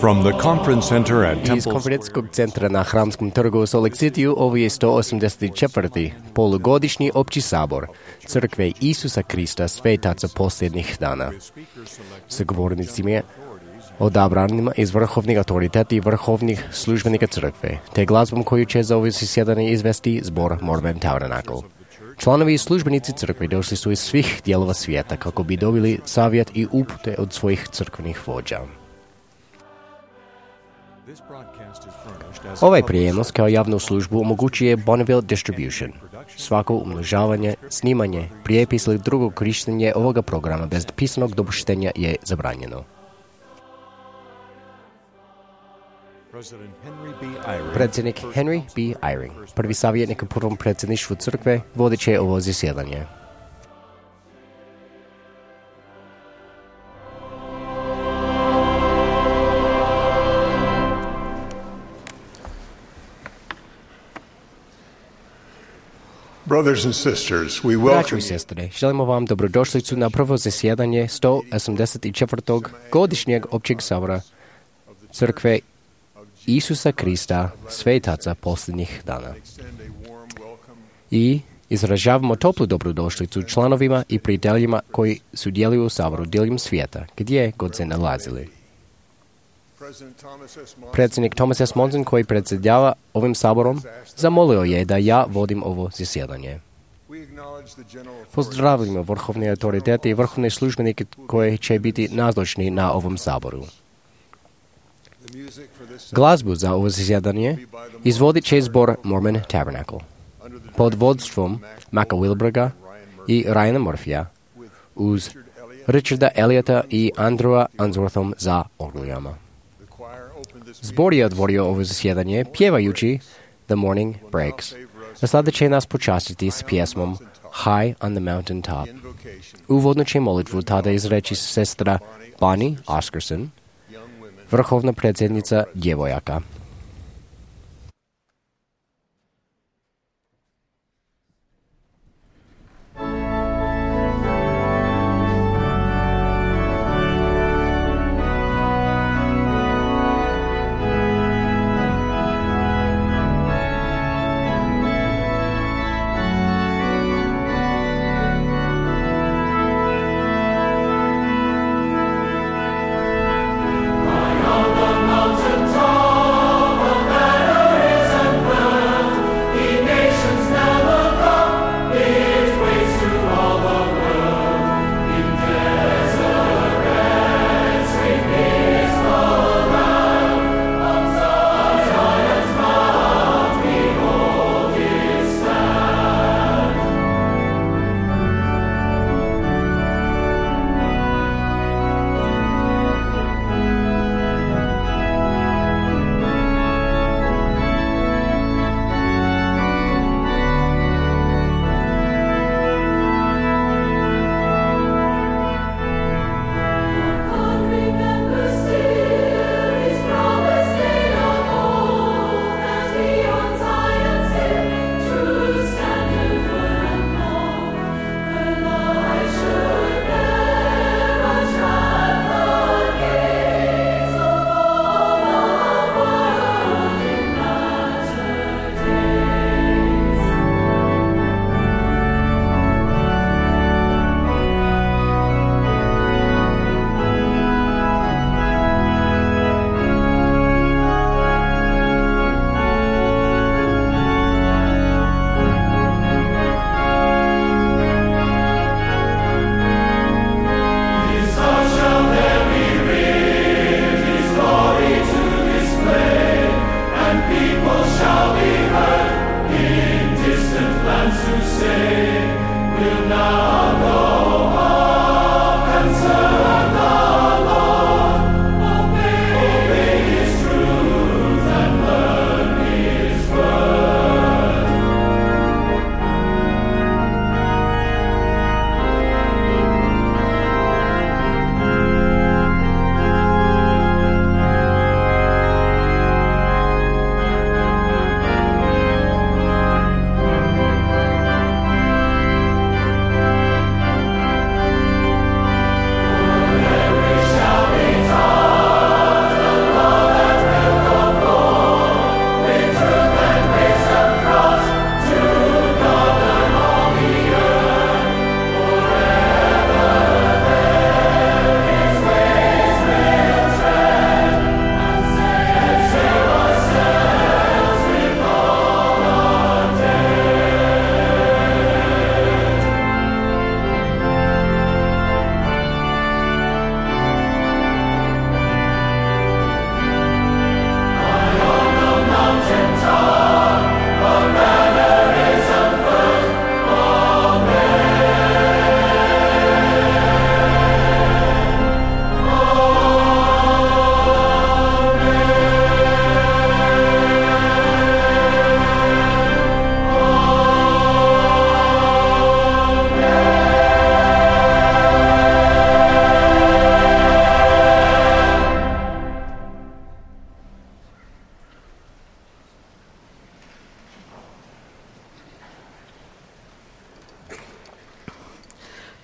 From the conference center at Iz Temple konferencijskog centra na Hramskom trgu u Salt Lake City ovo je 184. polugodišnji opći sabor Crkve Isusa Krista Svetaca posljednjih dana. Sa govornicima odabranima iz vrhovnih autoriteta i vrhovnih službenika crkve, te glazbom koju će za ovo zasjedanje izvesti zbor Mormon Tabernacle. Članovi i službenici crkve došli su iz svih dijelova svijeta kako bi dobili savjet i upute od svojih crkvenih vođa. Ovaj prijenos kao javnu službu omogućuje Bonneville Distribution. Svako umnožavanje, snimanje, prijepis ili drugo korištenje ovoga programa bez pisanog dopuštenja je zabranjeno. Predsjednik Henry B. Eyring, prvi savjetnik u prvom predsjedništvu crkve, vodit će ovo zasjedanje. Brothers and sisters, we Braćo welcome i sestre, želimo vam dobrodošlicu na prvo zasjedanje 184. godišnjeg općeg sabora Crkve Isusa Krista Svetaca posljednjih dana. I izražavamo toplu dobrodošlicu članovima i prijateljima koji sudjeluju u saboru diljem svijeta, gdje god se nalazili. Predsjednik Thomas S. Monson, koji predsjedava ovim saborom, zamolio je da ja vodim ovo zasjedanje. Pozdravljamo vrhovne autoritete i vrhovne službenike koji će biti nazočni na ovom saboru. Glazbu za ovo zasjedanje izvodit će zbor Mormon Tabernacle pod vodstvom Maka Wilberga i Ryana Murphyja uz Richarda Elliota i Andrewa Unsworthom za orglijama. Zbor je otvorio ovo zasjedanje pjevajući The Morning Breaks, a sada će nas počastiti s pjesmom High on the Mountain Top. Uvodno će molitvu tada izreći sestra Bonnie Oscarson, vrhovna predsjednica djevojaka. Mountain top.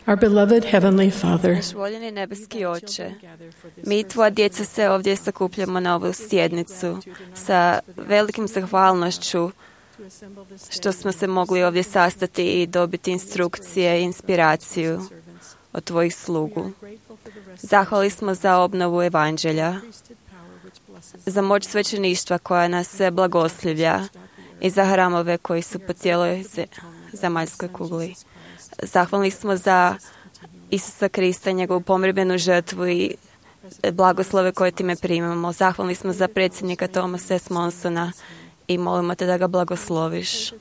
Our beloved Heavenly Father, Naš voljeni nebeski Oče, mi tvoja djeca se ovdje sakupljamo na ovu sjednicu sa velikim zahvalnošću što smo se mogli ovdje sastati i dobiti instrukcije i inspiraciju od tvojih slugu. Zahvali smo za obnovu evanđelja, za moć svećeništva koja nas sve blagoslivlja i za hramove koji su po cijeloj zemaljskoj kugli. Zahvalni smo za Isusa Krista, njegovu pomirbenu žrtvu i blagoslove koje time primamo. Zahvalni smo za predsjednika Thomasa S. Monsona i molimo te da ga blagosloviš.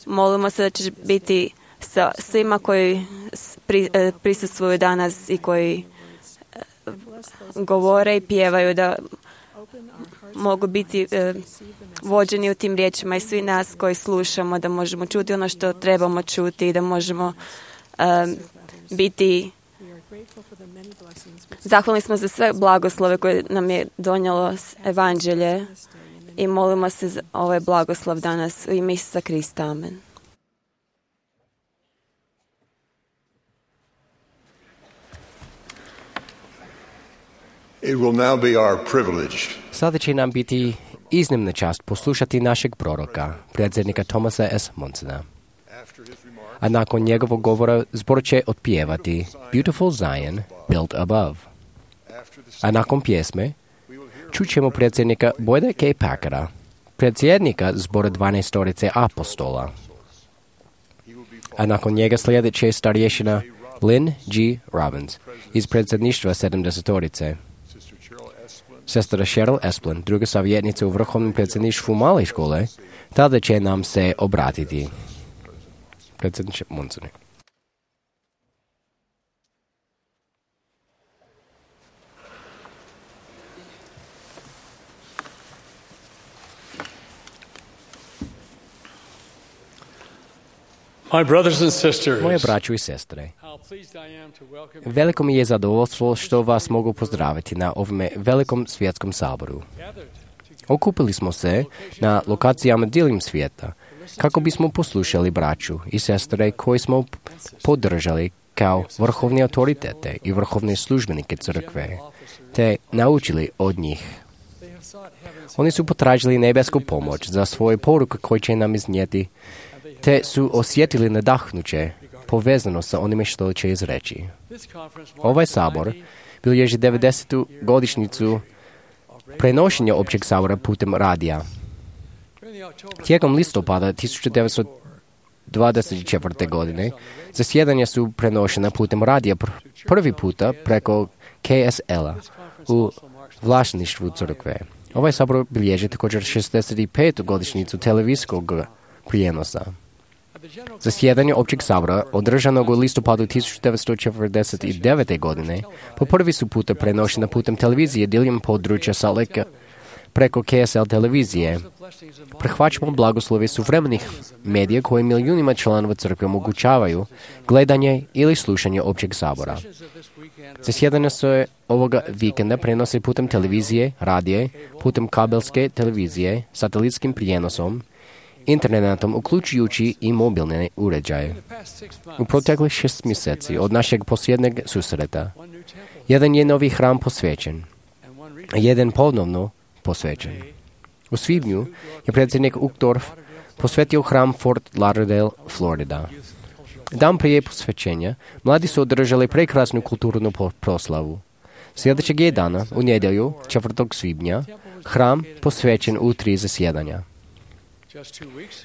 Molimo se da ćeš biti sa svima koji prisustvuju danas i koji govore i pjevaju, da mogu biti vođeni u tim riječima, i svi nas koji slušamo, da možemo čuti ono što trebamo čuti i da možemo biti. Zahvalni smo za sve blagoslove koje nam je donijelo evanđelje i molimo se za ovaj blagoslov danas u ime Isusa Krista. Amen. It will now be our privilege Sada će nam biti iznimna čast poslušati našeg proroka, predsjednika Thomasa S. Monsona. A nakon njegovog govora zbor će otpjevati Beautiful Zion, Built Above. A nakon pjesme čućemo predsjednika Boyda K. Packera, predsjednika zbora 12 apostola. A nakon njega sljedeće starješina Lynn G. Robbins iz predsjedništva 70. Sestra Cheryl Esplin, druga savjetnica u vrhovnom predsjedništvu male škole, tada će nam se obratiti. Predsjedniče Monsone. My brothers and sisters, Moje braćo i sestre, how pleased I am to welcome veliko mi je zadovoljstvo što vas mogu pozdraviti na ovome velikom svjetskom saboru. Okupili smo se na lokacijama diljem svijeta kako bismo poslušali braću i sestre koji smo podržali kao vrhovne autoritete i vrhovne službenike crkve, te naučili od njih. Oni su potražili nebesku pomoć za svoje poruke koje će nam iznijeti, te su osjetili nadahnuće povezano sa onime što će izreći. Ovaj sabor bilježi 90. godišnjicu prenošenja općeg sabora putem radija. Tijekom listopada 1924. godine zasjedanja su prenošena putem radija prvi puta preko KSL-a u vlasništvu crkve. Ovaj sabor bilježi također 65. godišnjicu televizijskog prijenosa. Zasjedanje općeg sabora, održanog u listopadu 1949. godine, po prvi su puta prenošena putem televizije diljem područja Salt Lake preko KSL televizije. Prihvaćamo blagoslove suvremenih medija koji milijunima članova crkve omogućavaju gledanje ili slušanje općeg sabora. Zasjedanje se ovoga vikenda prenose putem televizije, radije, putem kabelske televizije, satelitskim prijenosom, internetom, uključujući i mobilne uređaje. U proteklih 6 mjeseci od našeg posljednjeg susreta, jedan je novi hram posvećen, a jedan ponovno posvećen. U svibnju je predsjednik Uchtdorf posvetio hram Fort Lauderdale, Florida. Dan prije posvećenja, mladi su održali prekrasnu kulturnu proslavu. Sljedećeg je dana, u nedjelju, 4. svibnja, hram posvećen u 3 zasjedanja.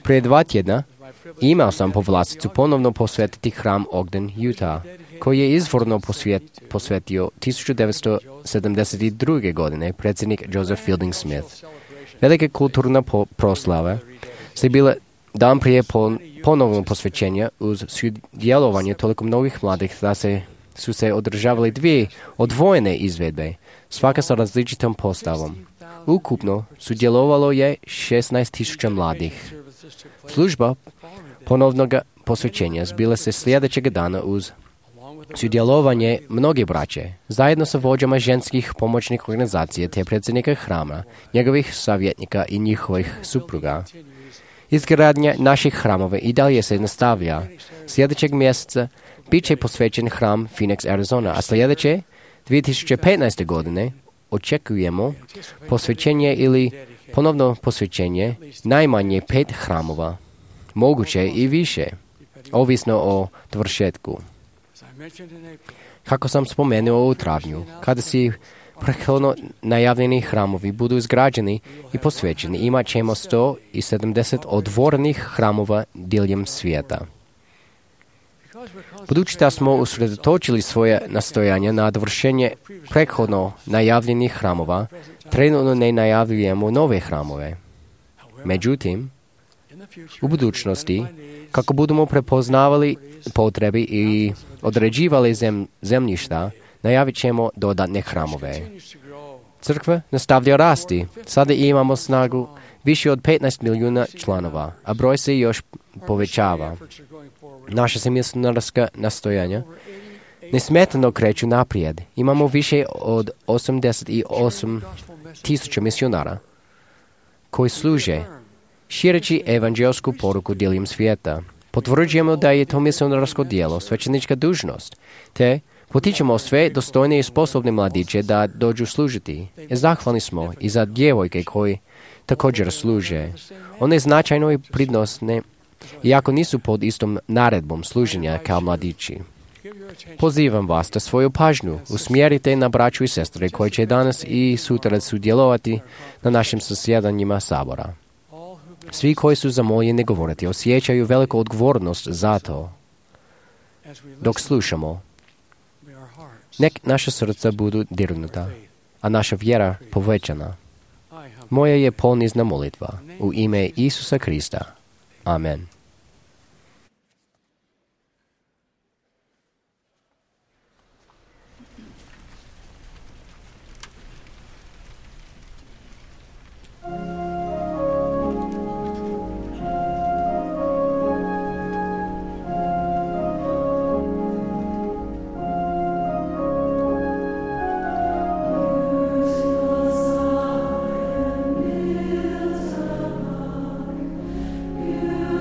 Prije 2 tjedna imao sam povlasticu ponovno posvetiti hram Ogden, Utah, koji je izvorno posvetio 1972. godine predsjednik Joseph Fielding Smith. Velike kulturna proslave se bile dan prije ponovnog posvećenja uz sudjelovanje toliko mnogih mladih da su se održavali 2 odvojene izvedbe, svaka sa različitom postavom. Ukupno sudjelovalo je 16,000 mladih. Služba ponovnog posvećenja zbila se sljedećeg dana uz sudjelovanje mnoge braće, zajedno sa vođama ženskih pomoćnih organizacija te predsjednika hrama, njegovih savjetnika i njihovih supruga. Izgradnja naših hramova i dalje se nastavlja. Sljedećeg mjeseca bit će posvećen hram Phoenix, Arizona, a sljedeće 2015. godine očekujemo posvećenje ili ponovno posvećenje najmanje 5 hramova, moguće i više, ovisno o dovršetku. Kako sam spomenuo u travnju, kada si prethodno najavljeni hramovi budu izgrađeni i posvećeni, imat ćemo 170 otvorenih hramova diljem svijeta. Budući da smo usredotočili svoje nastojanje na dovršenje prethodno najavljenih hramova, trenutno ne najavljujemo nove hramove. Međutim, u budućnosti, kako budemo prepoznavali potrebe i određivali zemljišta, najavit ćemo dodatne hramove. Crkva nastavlja rasti. Sada imamo snagu više od 15 milijuna članova, a broj se još povećava. Naša se misionarska nastojanja nesmetano kreću naprijed. Imamo više od 88,000 misionara koji služe šireći evanđelsku poruku diljem svijeta. Potvrđujemo da je to misionarsko djelo, svećenička dužnost, te potičemo sve dostojne i sposobne mladiće da dođu služiti. Zahvalni smo i za djevojke koji također služe. One značajno i pridnosne, iako nisu pod istom naredbom služenja kao mladići. Pozivam vas da svoju pažnju usmjerite na braću i sestre koji će danas i sutra sudjelovati na našim zasjedanjima sabora. Svi koji su zamoljeni govoriti osjećaju veliku odgovornost za to. Dok slušamo, nek naša srca budu dirnuta, a naša vjera povećana. Moja je ponizna molitva u ime Isusa Krista. Amen.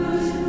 Use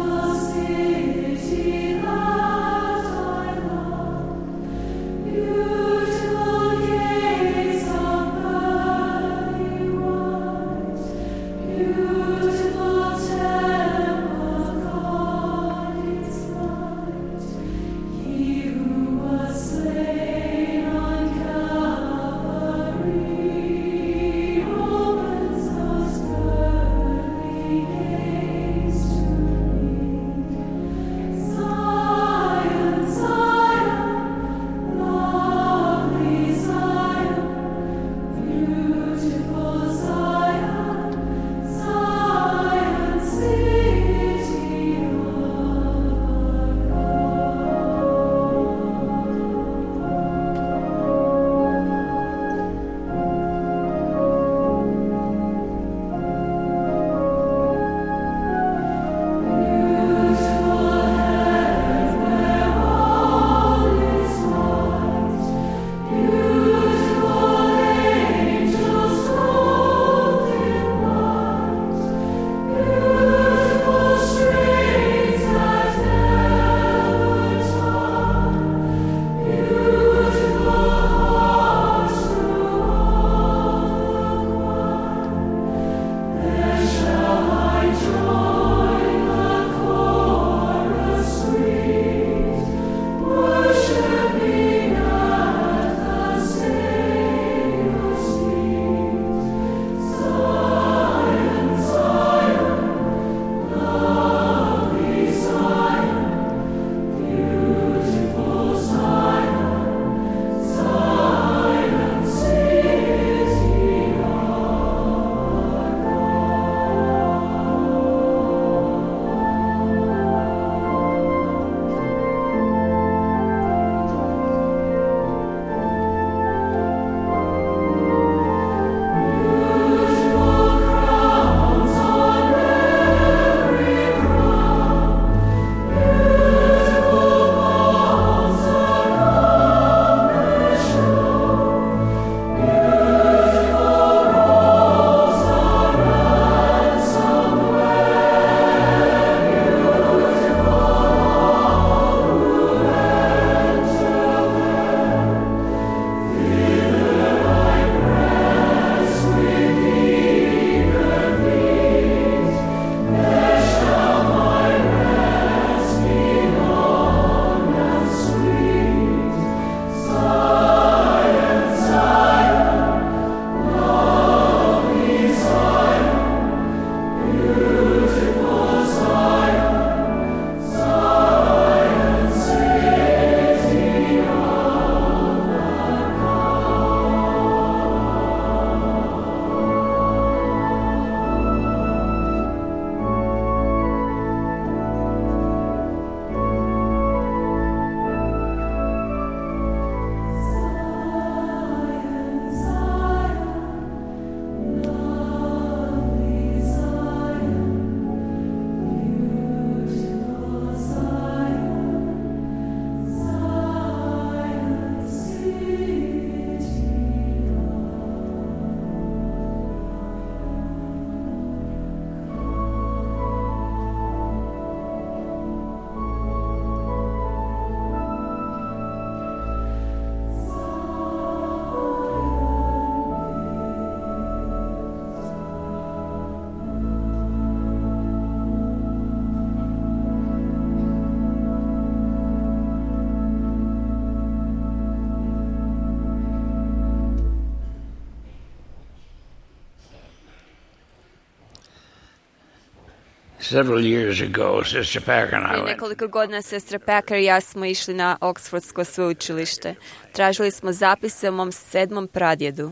Several years ago, Sister Packer and I Prije went. nekoliko godina sestra Packer i ja smo išli na Oxfordsko sveučilište. Tražili smo zapise o mom 7. pradjedu.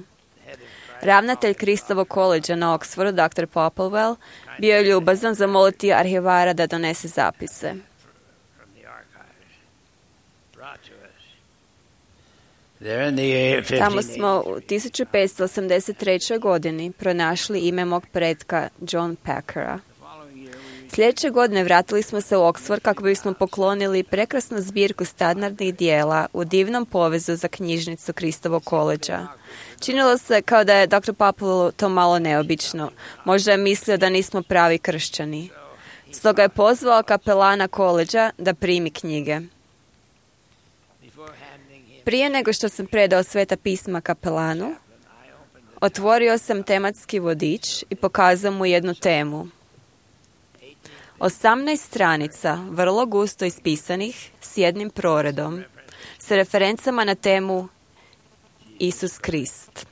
Ravnatelj Kristovog koleđa na Oxfordu, dr. Popplewell, bio je ljubazan zamoliti arhivara da donese zapise. From the archives brought to us. There in the Tamo smo u 1583. godini pronašli ime mog pretka John Packera. Sljedeće godine vratili smo se u Oxford kako bismo poklonili prekrasnu zbirku standardnih dijela u divnom povezu za knjižnicu Kristovog koleđa. Činilo se kao da je dr. Popplewell to malo neobično. Možda je mislio da nismo pravi kršćani. Stoga je pozvao kapelana koleđa da primi knjige. Prije nego što sam predao Sveta pisma kapelanu, otvorio sam tematski vodič i pokazao mu jednu temu. 18 stranica, vrlo gusto ispisanih, s jednim proredom, s referencama na temu Isus Krist.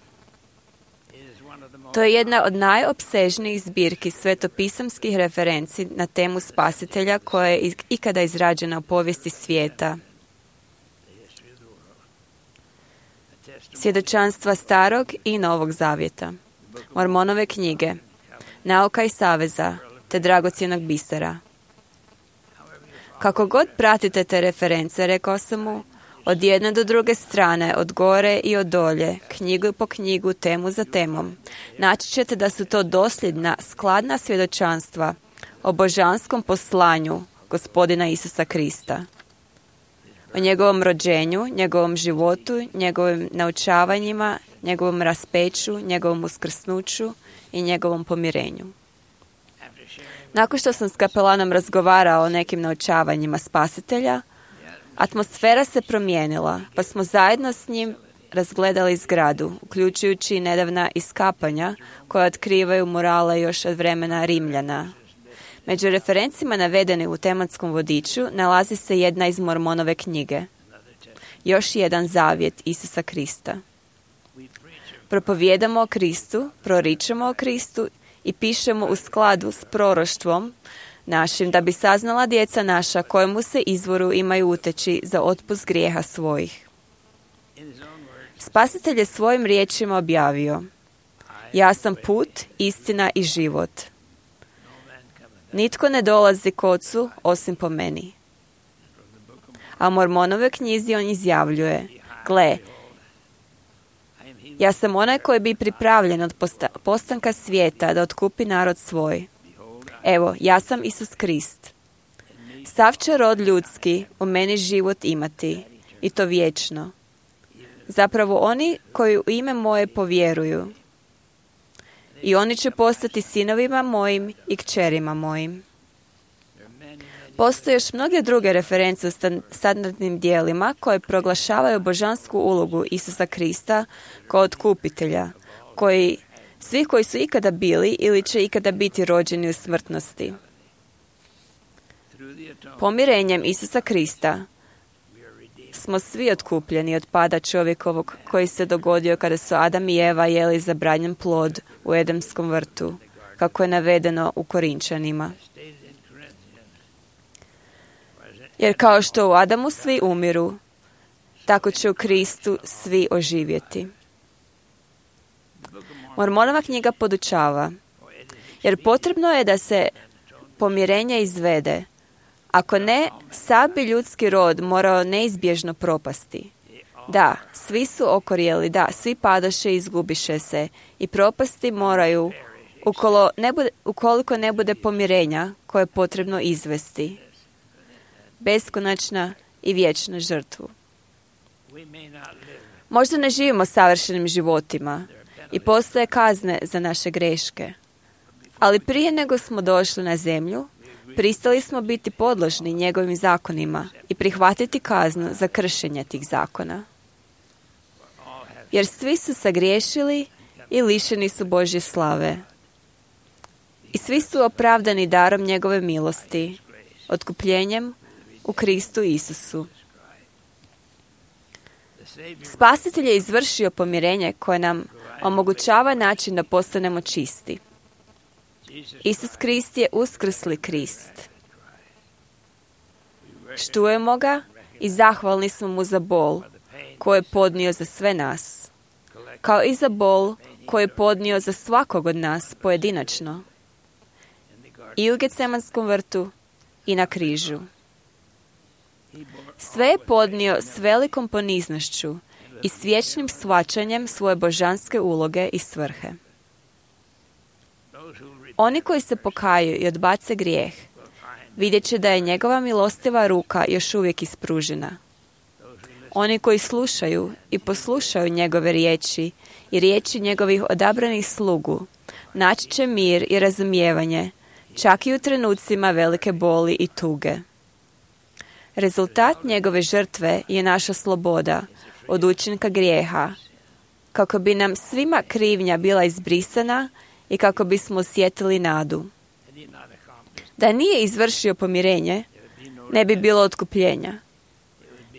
To je jedna od najopsežnijih zbirki svetopisamskih referenci na temu spasitelja koja je ikada izrađena u povijesti svijeta. Svjedočanstva Starog i Novog Zavjeta, Mormonove knjige, Nauka i saveza, te dragocjenog bisera. Kako god pratite te reference, rekao sam mu, od jedne do druge strane, od gore i od dolje, knjigu po knjigu, temu za temom, naći ćete da su to dosljedna, skladna svjedočanstva o božanskom poslanju Gospodina Isusa Krista. O njegovom rođenju, njegovom životu, njegovim naučavanjima, njegovom raspeću, njegovom uskrsnuću i njegovom pomirenju. Nakon što sam s kapelanom razgovarao o nekim naučavanjima spasitelja, atmosfera se promijenila, pa smo zajedno s njim razgledali zgradu, uključujući i nedavna iskapanja koja otkrivaju murale još od vremena Rimljana. Među referencima navedeni u tematskom vodiču nalazi se jedna iz Mormonove knjige. Još jedan zavjet Isusa Krista. Propovijedamo o Kristu, proričemo o Kristu i pišemo u skladu s proroštvom našim, da bi saznala djeca naša kojemu se izvoru imaju uteći za otpust grijeha svojih. Spasitelj je svojim riječima objavio: ja sam put, istina i život. Nitko ne dolazi k Ocu osim po meni. A u Mormonove knjizi on izjavljuje: gle, ja sam onaj koji bi pripravljen od postanka svijeta da otkupi narod svoj. Evo, ja sam Isus Krist. Sav će rod ljudski u meni život imati, i to vječno. Zapravo oni koji u ime moje povjeruju. I oni će postati sinovima mojim i kćerima mojim. Postoje još mnoge druge reference u standardnim dijelima koje proglašavaju božansku ulogu Isusa Krista kao otkupitelja, svi koji su ikada bili ili će ikada biti rođeni u smrtnosti. Pomirenjem Isusa Krista smo svi otkupljeni od pada čovjekovog koji se dogodio kada su Adam i Eva jeli zabranjen plod u Edemskom vrtu, kako je navedeno u Korinčanima. Jer kao što u Adamu svi umiru, tako će u Kristu svi oživjeti. Mormonova knjiga podučava, jer potrebno je da se pomirenje izvede. Ako ne, sav bi ljudski rod morao neizbježno propasti. Da, svi su okorjeli, da, svi padoše i izgubiše se i propasti moraju ukoliko ne bude pomirenja koje je potrebno izvesti. Beskonačna i vječna žrtvu. Možda ne živimo savršenim životima i postoje kazne za naše greške. Ali prije nego smo došli na zemlju, pristali smo biti podložni njegovim zakonima i prihvatiti kaznu za kršenje tih zakona. Jer svi su sagriješili i lišeni su Božje slave. I svi su opravdani darom njegove milosti, otkupljenjem u Kristu Isusu. Spasitelj je izvršio pomirenje koje nam omogućava način da postanemo čisti. Isus Krist je uskrsli Krist. Štujemo ga i zahvalni smo mu za bol koju je podnio za sve nas, kao i za bol koju je podnio za svakog od nas pojedinačno. I u Getsemanskom vrtu i na križu. Sve je podnio s velikom poniznošću i s vječnim shvaćanjem svoje božanske uloge i svrhe. Oni koji se pokaju i odbace grijeh, vidjet će da je njegova milostiva ruka još uvijek ispružena. Oni koji slušaju i poslušaju njegove riječi i riječi njegovih odabranih slugu, naći će mir i razumijevanje, čak i u trenucima velike boli i tuge. Rezultat njegove žrtve je naša sloboda od učinka grijeha, kako bi nam svima krivnja bila izbrisana i kako bismo osjetili nadu. Da nije izvršio pomirenje, ne bi bilo otkupljenja.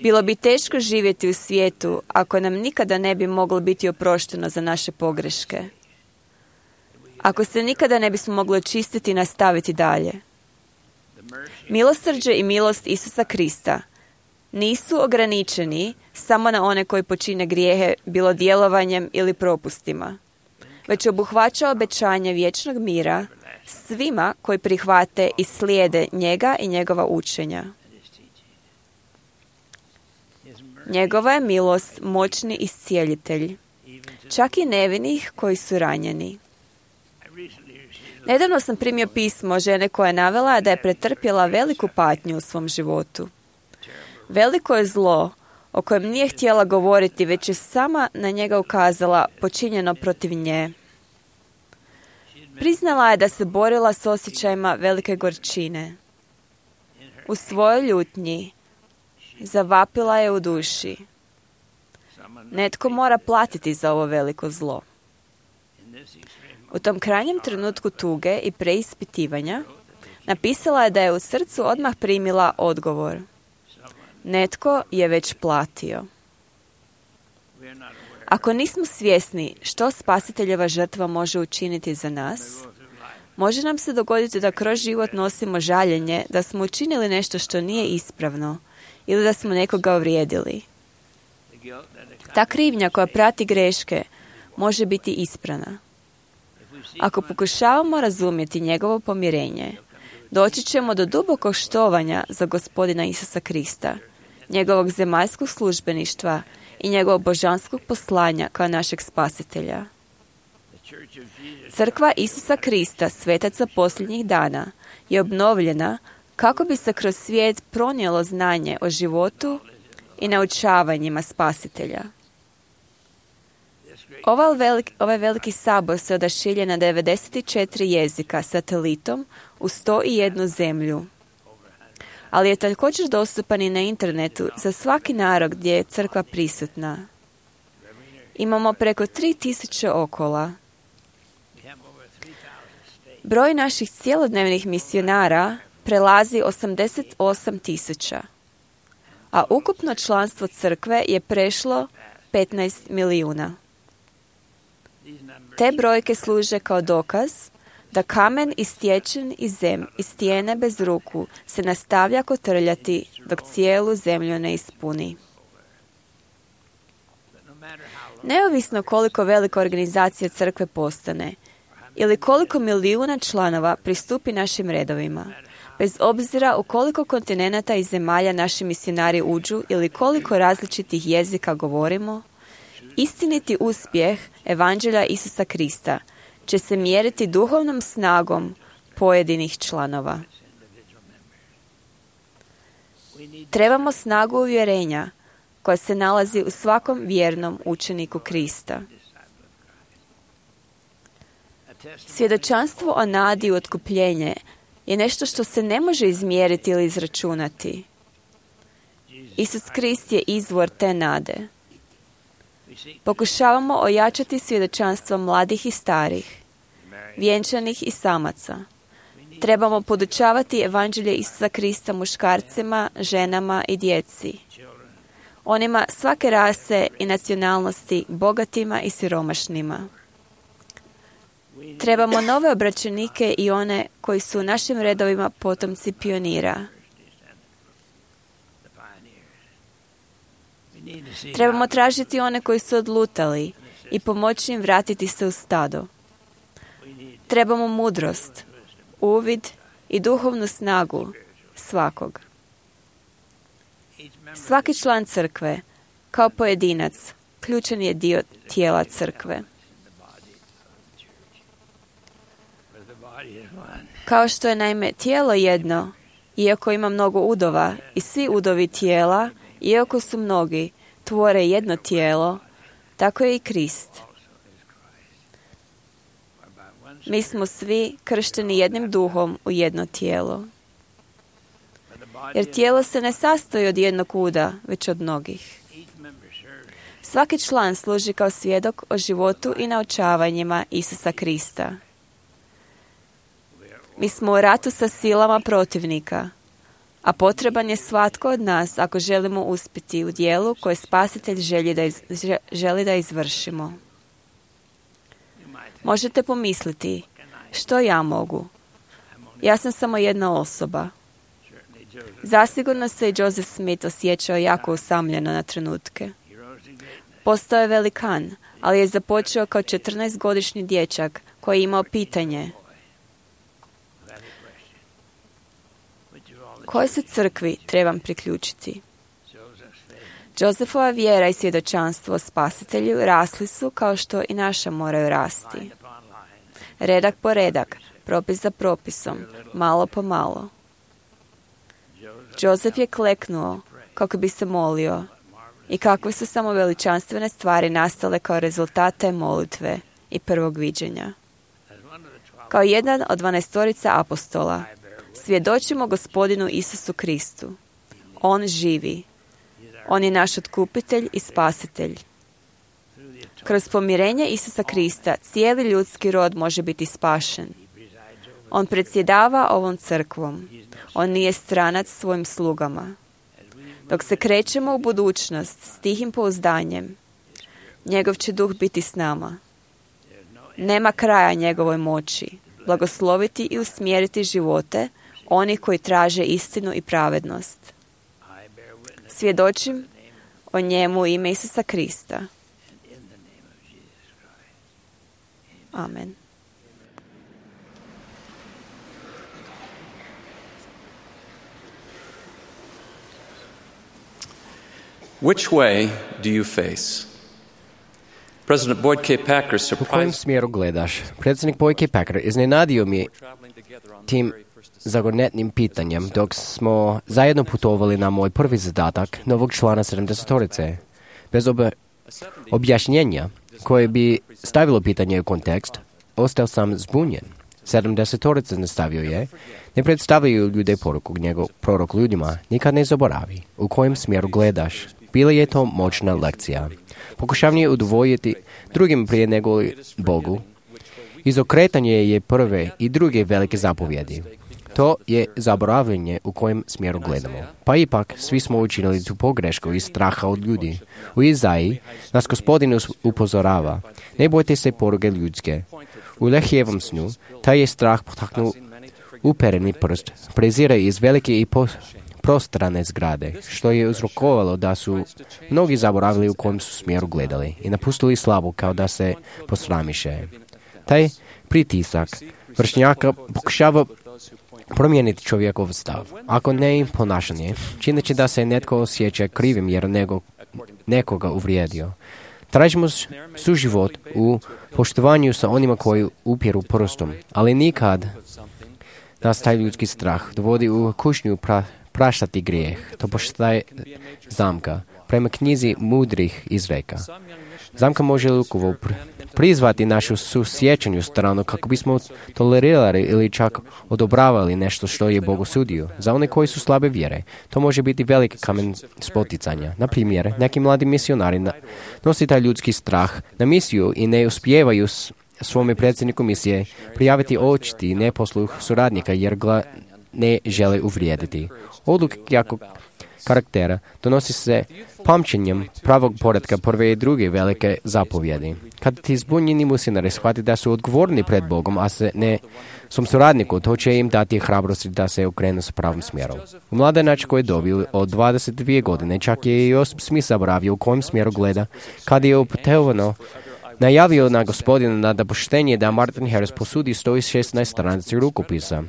Bilo bi teško živjeti u svijetu ako nam nikada ne bi moglo biti oprošteno za naše pogreške. Ako se nikada ne bismo mogli očistiti i nastaviti dalje. Milosrđe i milost Isusa Krista nisu ograničeni samo na one koji počine grijehe, bilo djelovanjem ili propustima, već obuhvaća obećanje vječnog mira svima koji prihvate i slijede njega i njegova učenja. Njegova je milost moćni iscijelitelj, čak i nevinih koji su ranjeni. Nedavno sam primio pismo žene koja je navela da je pretrpjela veliku patnju u svom životu. Veliko je zlo o kojem nije htjela govoriti, već je sama na njega ukazala, počinjeno protiv nje. Priznala je da se borila s osjećajima velike gorčine. U svojoj ljutnji zavapila je u duši. Netko mora platiti za ovo veliko zlo. U tom krajnjem trenutku tuge i preispitivanja napisala je da je u srcu odmah primila odgovor. Netko je već platio. Ako nismo svjesni što spasiteljeva žrtva može učiniti za nas, može nam se dogoditi da kroz život nosimo žaljenje da smo učinili nešto što nije ispravno ili da smo nekoga uvrijedili. Ta krivnja koja prati greške može biti isprana. Ako pokušavamo razumjeti njegovo pomirenje, doći ćemo do dubokog štovanja za Gospodina Isusa Krista, njegovog zemaljskog službeništva i njegovog božanskog poslanja kao našeg spasitelja. Crkva Isusa Krista, svetaca posljednjih dana, je obnovljena kako bi se kroz svijet pronijelo znanje o životu i naučavanjima spasitelja. Ovaj veliki sabor se odašilje na 94 jezika satelitom u 101 zemlju. Ali je također dostupan i na internetu za svaki narod gdje je crkva prisutna. Imamo preko 3000 okola. Broj naših cjelodnevnih misionara prelazi 88.000, a ukupno članstvo crkve je prešlo 15 milijuna. Te brojke služe kao dokaz da kamen istječen iz stijene bez ruku se nastavlja kotrljati dok cijelu zemlju ne ispuni. Neovisno koliko velika organizacija crkve postane ili koliko milijuna članova pristupi našim redovima, bez obzira u koliko kontinenata i zemalja naši misionari uđu ili koliko različitih jezika govorimo, istiniti uspjeh Evanđelja Isusa Krista će se mjeriti duhovnom snagom pojedinih članova. Trebamo snagu uvjerenja koja se nalazi u svakom vjernom učeniku Krista. Svjedočanstvo o nadi u otkupljenje je nešto što se ne može izmjeriti ili izračunati. Isus Krist je izvor te nade. Pokušavamo ojačati svjedočanstvo mladih i starih, vjenčanih i samaca. Trebamo podučavati Evanđelje Isusa Krista muškarcima, ženama i djeci. Onima svake rase i nacionalnosti, bogatima i siromašnima. Trebamo nove obraćenike i one koji su u našim redovima potomci pionira. Trebamo tražiti one koji su odlutali i pomoći im vratiti se u stado. Trebamo mudrost, uvid i duhovnu snagu svakog. Svaki član crkve, kao pojedinac, ključan je dio tijela crkve. Kao što je naime tijelo jedno, iako ima mnogo udova, i svi udovi tijela, iako su mnogi, tvore jedno tijelo, tako je i Krist. Mi smo svi kršteni jednim duhom u jedno tijelo. Jer tijelo se ne sastoji od jednog uda, već od mnogih. Svaki član služi kao svjedok o životu i naučavanjima Isusa Krista. Mi smo u ratu sa silama protivnika, a potreban je svatko od nas ako želimo uspjeti u dijelu koje Spasitelj želi da izvršimo. Možete pomisliti, što ja mogu? Ja sam samo jedna osoba. Zasigurno se i Joseph Smith osjećao jako usamljeno na trenutke. Postao je velikan, ali je započeo kao 14-godišnji dječak koji je imao pitanje: kojoj se crkvi trebam priključiti? Josephova vjera i svjedočanstvo o Spasitelju rasli su kao što i naša moraju rasti. Redak po redak, propis za propisom, malo po malo. Joseph je kleknuo kako bi se molio i kakve su samo veličanstvene stvari nastale kao rezultat te molitve i prvog viđenja. Kao jedan od 12 apostola, svjedočimo Gospodinu Isusu Kristu. On živi. On je naš otkupitelj i spasitelj. Kroz pomirenje Isusa Krista cijeli ljudski rod može biti spašen. On predsjedava ovom crkvom. On nije stranac svojim slugama. Dok se krećemo u budućnost s tihim pouzdanjem, njegov će duh biti s nama. Nema kraja njegovoj moći blagosloviti i usmjeriti živote onih koji traže istinu i pravednost. Svjedočim o njemu u ime Isusa Krista. Amen. Which way do you face? President Boyd K. Packer U kojem surprised smjeru gledaš? Predsjednik Boyd K. Packer iznenadio mi tim zagonetnim pitanjem dok smo zajedno putovali na moj prvi zadatak novog člana 70-torice. Bez objašnjenja koje bi stavilo pitanje u kontekst, ostao sam zbunjen. 70-torica nastavio je: ne predstavljaju ljude poruku, njegov prorok ljudima nikad ne zaboravi. U kojem smjeru gledaš? Bila je to moćna lekcija. Pokušavanje udvojiti drugim prije nego Bogu. Izokretanje je prve i druge velike zapovjedi. To je zaboravljanje u kojem smjeru gledamo. Pa ipak, svi smo učinili tu pogrešku iz straha od ljudi. U Izaiji nas Gospodin upozorava: ne bojte se poruge ljudske. U Lehijevom snu taj je strah potaknuo upereni prst, prezire iz velike i prostrane zgrade, što je uzrokovalo da su mnogi zaboravili u kojem su smjeru gledali i napustili slavu kao da se posramiše. Taj pritisak vršnjaka pokušava promijeniti čovjekov stav, ako ne i ponašanje, čineći da se netko osjeća krivim jer nekoga uvrijedio. Tražimo suživot u poštovanju sa onima koji upjeru prstom, ali nikad nas taj ljudski strah dovodi u kušnju praštati grijeh. To postaje zamka. Prema knjizi mudrih izreka. Zamka može lukovo prizvati našu susjećanju stranu kako bismo tolerirali ili čak odobravali nešto što je Bog osudio. Za one koji su slabe vjere, to može biti veliki kamen spoticanja. Na primjer, neki mladi misionari nosi taj ljudski strah na misiju i ne uspijevaju svome predsjedniku misije prijaviti očiti neposluh suradnika jer ga ne žele uvrijediti. Odluke jako karaktera donosi se pamćenjem pravog poretka prve i druge velike zapovjedi. Kad ti zbunjeni misionari shvati da su odgovorni pred Bogom, a se ne svom suradniku, to će im dati hrabrosti da se okrenu s pravom smjerom. U mladenačkoj dobi od 22 godine čak je i Josip Smith zaboravio u kojem smjeru gleda, kad je opetovano najavio na Gospodina na dopuštenje da Martin Harris posudi 116 stranici rukopisa.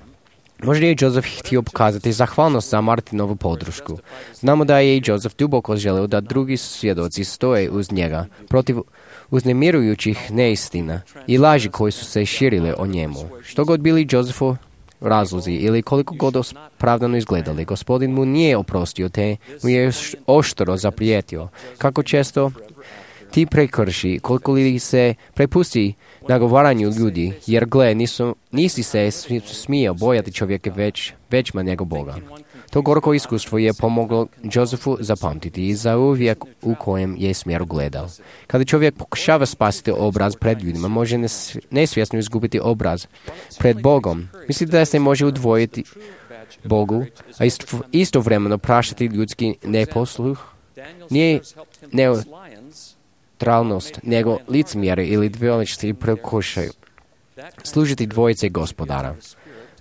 Možda je Joseph htio pokazati zahvalnost za Martinovu podršku. Znamo da je i Joseph duboko želeo da drugi svjedoci stoje uz njega protiv uznemirujućih neistina i laži koji su se širile o njemu. Što god bili Josephu razlozi ili koliko god opravdano izgledali, Gospodin mu nije oprostio te mu je oštro zaprijetio. Kako često ti prekrši, koliko li se prepusti nagovaranju ljudi, jer gle, nisi se smio bojati čovjeka većma nego Boga. To gorko iskustvo je pomoglo Josephu zapamtiti i za uvijek u kojem je smjeru gledao. Kada čovjek pokušava spasiti obraz pred ljudima, može nesvjesno izgubiti obraz pred Bogom. Misli da se može udvojiti Bogu, a istovremeno praštati ljudski neposluh. Nije neutralnost, nego licemjere ili dvoličnosti pokušaju služiti dvojice Gospodara.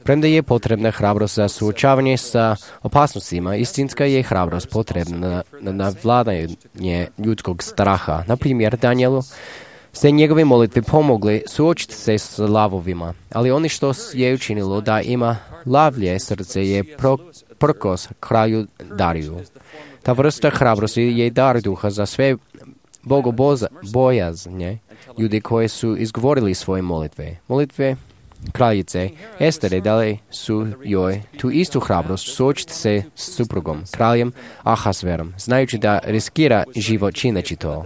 Premda je potrebna hrabrost za suočavanje sa opasnostima, istinska je hrabrost potrebna na navladanje ljudskog straha. Na primjer, Danielu se njegove molitve pomogli suočiti se s lavovima, ali ono što je učinilo da ima lavlje srce je prkos kralju Dariju. Ta vrsta hrabrosti je dar duha za sve bogobojazne ljudi koji su izgovorili svoje molitve. Molitve kraljice Estere dali su joj tu istu hrabrost suočiti se s suprugom, kraljem Ahasverom, znajući da riskira život čineći to.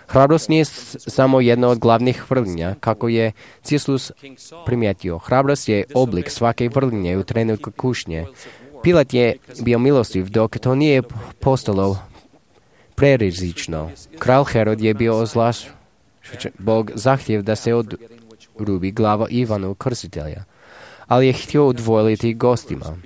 Hrabrost nije samo jedna od glavnih vrlinja, kako je Cislus primijetio. Hrabrost je oblik svake vrlinje u trenutku kušnje. Pilat je bio milostiv dok to nije postalo prerizično. Kralj Herod je bio ozlašćen. Bog zahtjev da se odrubi glava Ivanu Krstitelja, ali je htio udvojiti gostima.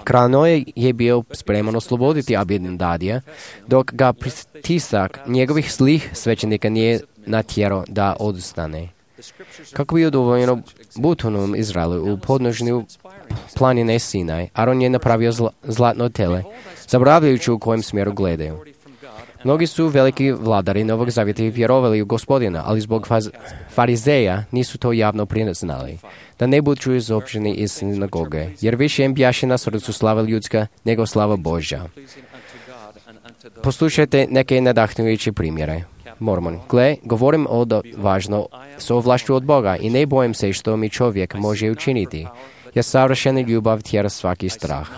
Kralj Noe je bio spreman osloboditi Abinadija, dok ga pritisak njegovih zlih svećenika nije natjerao da odustane. Kako bi udovoljeno butonom Izraelu u podnožnju planine Sinaj, Aron je napravio zlatno tele, zaboravljajući u kojem smjeru gledaju. Mnogi su veliki vladari Novog Zavjeta vjerovali u Gospodina, ali zbog farizeja nisu to javno priznali, da ne budu izopćeni iz sinagoge, jer više im bjaše na srcu slava ljudska nego slava Božja. Poslušajte neke nadahnujuće primjere. Mormon, gle, govorim važno s ovlašću od Boga i ne bojim se što mi čovjek može učiniti, jer savršena ljubav tjera svaki strah.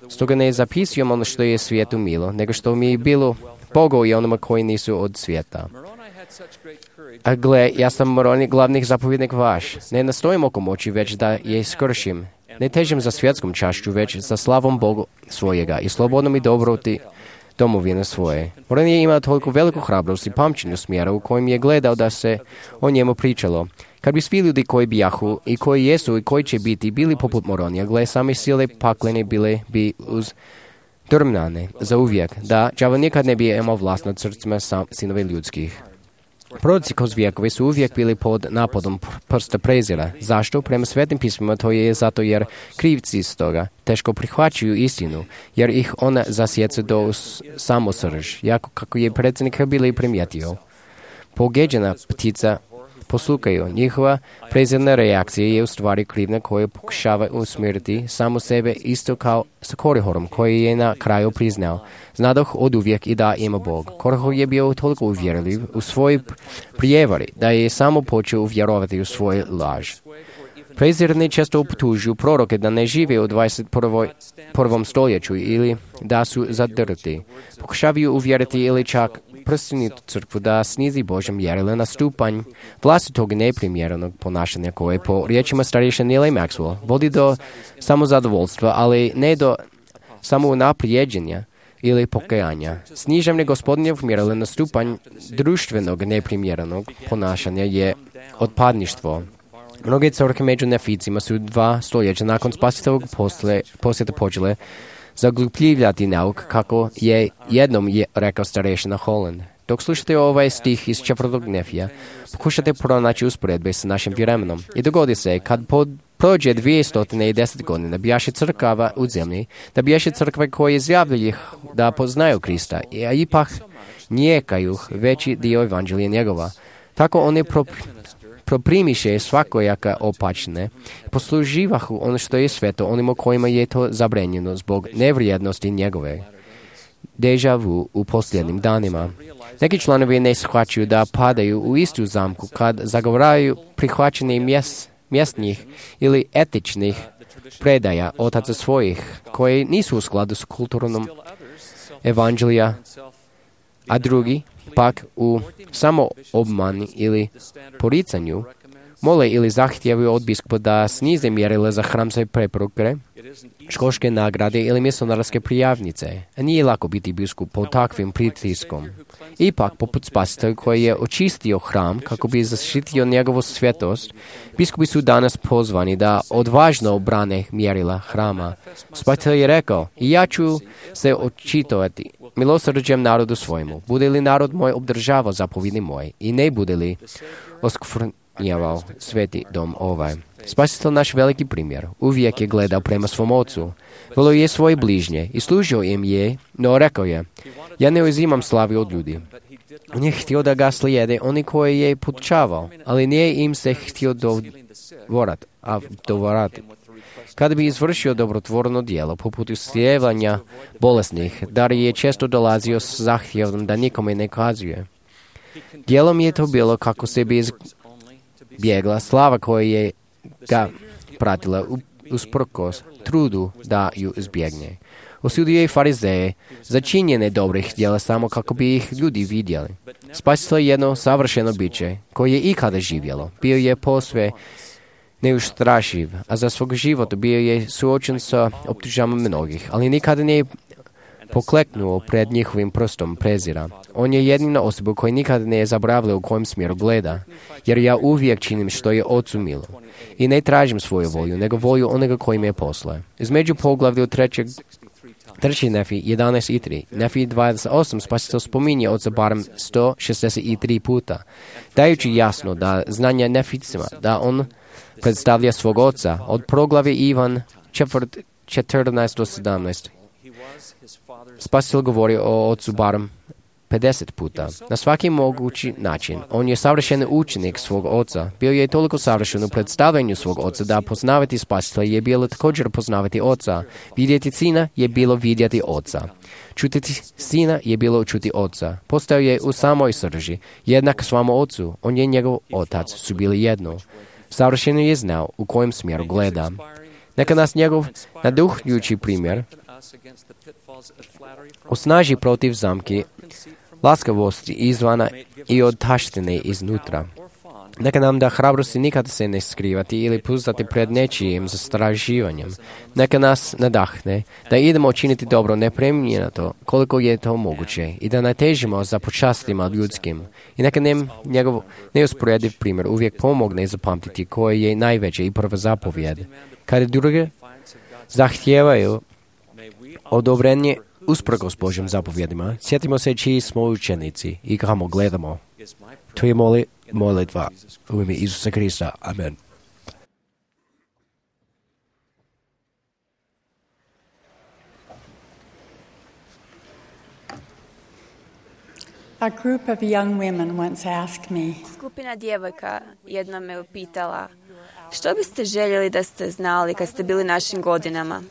Stoga ne zapisujem ono što je svijetu milo, nego što mi je bilo Bogu i onima koji nisu od svijeta. A gle, ja sam Moroni glavnih zapovjednik vaš. Ne nastojim oko moći, već da je iskršim. Ne težim za svjetskom čašću, već za slavom Bogu svojega i slobodnom i dobroti domovine svoje. Moran je imao toliko veliku hrabrost i pamćenju smjera u kojem je gledao da se o njemu pričalo. Kad bi svi ljudi koji bijahu i koji jesu i koji će biti bili poput Moronija, gle, same sile paklene bile bi uz drmnane za uvijek, da đavo nikad ne bi imao vlast nad srcima sinove ljudskih. Proroci kroz vijekove su uvijek bili pod napadom prsta prezira. Zašto? Prema svetim pismima to je zato jer krivci iz toga teško prihvaćaju istinu, jer ih ona zasjeca do samosrž, jako kako je predsjednik bili primijetio. Pogeđena ptica poslukaju. Njihova prezirna reakcija je u stvari krivnja koja pokušava usmjeriti samo sebe isto kao sa Korihorom koji je na kraju priznao. Znadoh od uvijek i da ima Bog. Korihor je bio toliko uvjerljiv u svoj prijevari da je samo počeo vjerovati u svoj laž. Prezirni često optužuju proroke da ne žive u 21. stoljeću ili da su zadrti. Pokušavaju uvjeriti ili čak prstenitu crkvu da snizi Božje mjerila na stupanj vlastitog neprimjerenog ponašanja koje po riječima starješine Neila Maxwell vodi do samozadovoljstva, ali ne do samounaprijeđenja ili pokajanja. Snižavanje Gospodinjevog mjerila na stupanj društvenog neprimjerenog ponašanja je otpadništvo. Mnoge crkve među neficima su 2 stoljeća nakon Spasiteljevog posjeta počele zaglupljivati nauk, kako je jednom rekao starešina Holland. Dok slušate ovaj stih iz 4. Nefija, pokušate pronaći usporedbe s našim vremenom. I dogodi se, kad prođe 210 godina, bijaše crkava u zemlji, da bijaše crkve koje izjavljaju da poznaju Krista, a ipak njekaju veći dio evanđelja njegova. Tako oni proprimiše svakojaka opačne, posluživahu ono što je sveto onima kojima je to zabranjeno zbog nevrijednosti njegove. Deja vu u posljednjim danima. Neki članovi ne shvaćaju da padaju u istu zamku kad zagovaraju prihvaćanje mjesnih ili etičnih predaja otaca svojih, koji nisu u skladu s kulturnom evanđelja, a drugi pak u samoobmani ili poricanju mole ili zahtijevaju od biskupa da snize mjerila za hramske preporuke, školske nagrade ili misionarske prijavnice. A nije lako biti biskup pod takvim pritiskom. Ipak, poput Spasitelja koji je očistio hram kako bi zaštitio njegovu svetost, biskupi su danas pozvani da odvažno obrane mjerila hrama. Spasitelj je rekao, i ja ću se očitovati milosrđem narodu svojemu. Bude li narod moj obdržavao zapovjedi moje i ne bude li oskvrnjavao sveti dom ovaj. Spasitelj, naš veliki primjer, uvijek je gledao prema svom ocu. Volio je svoje bližnje i služio im je, no rekao je, ja ne uzimam slavi od ljudi. On je htio da ga slijede oni koje je podučavao, ali nije im se htio dovorati. Kada bi izvršio dobrotvorno djelo, poput islijevanja bolesnih, dar je često dolazio s zahtjevom da nikome ne kazuje. Djelom je to bilo kako se bi izbjegla slava koja je ga pratila usprkos trudu da ju izbjegne. Osudio je farizeje za činjenje dobrih djela samo kako bi ih ljudi vidjeli. Spasitelj je jedno savršeno biće koje je ikada živjelo. Bio je posve neustrašiv, a za svog života bio je suočen sa optužbama mnogih, ali nikada nije pokleknuo pred njihovim prstom prezira. On je jedina osoba koja nikada ne je zaboravila u kojem smjeru gleda, jer ja uvijek činim što je Ocu milo. I ne tražim svoju volju, nego volju onoga koji me je poslao. Između poglavlja 3. Nefi 11 i 3, Nefi 28 Spasitelj spominje Oca barem 163 puta, dajući jasno da znanje Neficima, da on predstavlja svog oca. Od proglavi Ivan 14 do 17. Spasitelj govori o ocu barem 50 puta. Na svaki mogući način. On je savršen učenik svog oca. Bio je toliko savršen u predstavljanju svog oca da poznavati Spasitelja je bilo također poznavati oca. Vidjeti sina je bilo vidjeti oca. Čutiti sina je bilo čuti oca. Postao je u samoj srži, jednak svamo ocu. On je njegov otac, su bili jedno. Savršeno je znao u kojem smjeru gleda. Neka nas njegov naduhljujući primjer osnaži protiv zamki laskavosti izvana i od taštine iznutra. Neka nam da hrabrosti nikada se ne skrivati ili puštati pred nečijim zastrašivanjem. Neka nas nadahne da idemo činiti dobro nepremljenato koliko je to moguće i da ne težimo za počastima ljudskim. I neka nam njegov neusporediv primjer uvijek pomogne zapamtiti koje je najveće i prva zapovjed. Kada druge zahtijevaju odobrenje usprkos Božjim zapovjedima, sjetimo se čiji smo učenici i kamo gledamo. To je molitva u ime Isusa Krista. Amen. A group of young women once asked me, Skupina djevojka jednom me upitala, što biste željeli da ste znali kad ste bili našim godinama?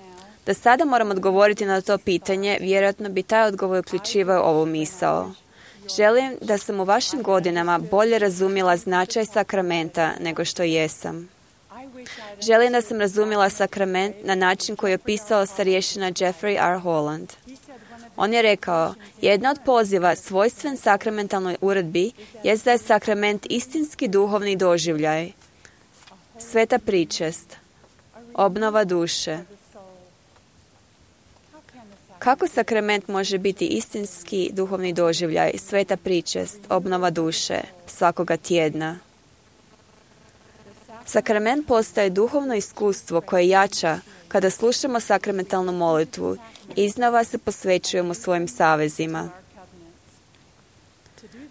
Da sada moram odgovoriti na to pitanje, vjerojatno bi taj odgovor uključivao ovu misao. Želim da sam u vašim godinama bolje razumjela značaj sakramenta nego što jesam. Želim da sam razumjela sakrament na način koji je opisao starješina Jeffrey R. Holland. On je rekao, jedna od poziva svojstven sakramentalnoj uredbi jest da je sakrament istinski duhovni doživljaj. Sveta pričest, obnova duše. Kako sakrament može biti istinski duhovni doživljaj, sveta pričest, obnova duše svakoga tjedna? Sakrament postaje duhovno iskustvo koje jača kada slušamo sakramentalnu molitvu i iznova se posvećujemo svojim savezima.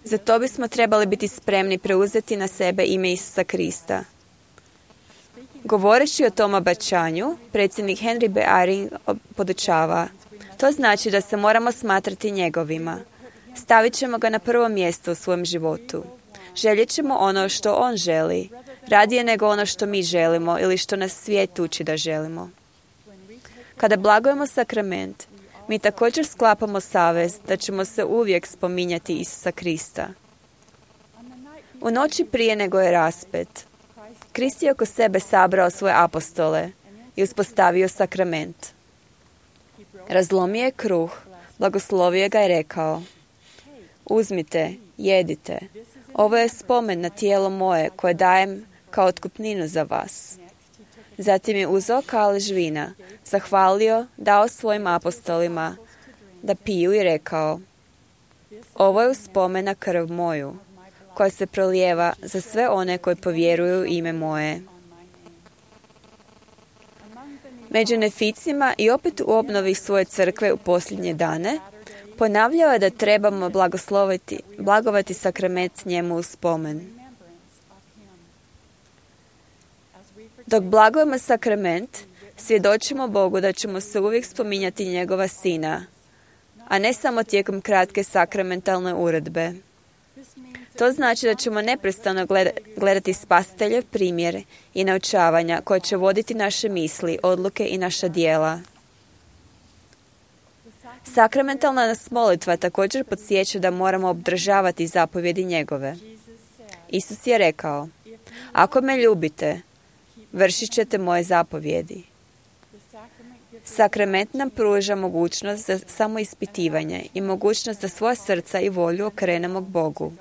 Za to bismo trebali biti spremni preuzeti na sebe ime Isusa Krista. Govoreći o tom obećanju, predsjednik Henry B. Eyring podučava: to znači da se moramo smatrati njegovima. Stavit ćemo ga na prvo mjesto u svojem životu. Željet ćemo ono što on želi, radije nego ono što mi želimo ili što nas svijet uči da želimo. Kada blagujemo sakrament, mi također sklapamo savez da ćemo se uvijek spominjati Isusa Krista. U noći prije nego je raspet, Krist je oko sebe sabrao svoje apostole i uspostavio sakrament. Razlomio je kruh, blagoslovio ga i rekao: uzmite, jedite, ovo je spomen na tijelo moje koje dajem kao otkupninu za vas. Zatim je uzeo kalež vina, zahvalio, dao svojim apostolima da piju i rekao: ovo je uspomen na krv moju, koja se prolijeva za sve one koji povjeruju u ime moje. Među neficima i opet u obnovi svoje crkve u posljednje dane, ponavljao je da trebamo blagovati sakrament njemu u spomen. Dok blagujemo sakrament, svjedočimo Bogu da ćemo se uvijek spominjati njegova sina, a ne samo tijekom kratke sakramentalne uredbe. To znači da ćemo neprestano gledati Spasiteljev primjer i naučavanja koje će voditi naše misli, odluke i naša djela. Sakramentalna nas molitva također podsjeća da moramo obdržavati zapovjedi njegove. Isus je rekao: ako me ljubite, vršit ćete moje zapovjedi. Sakrament nam pruža mogućnost za samoispitivanje i mogućnost da svoja srca i volju okrenemo k Bogu.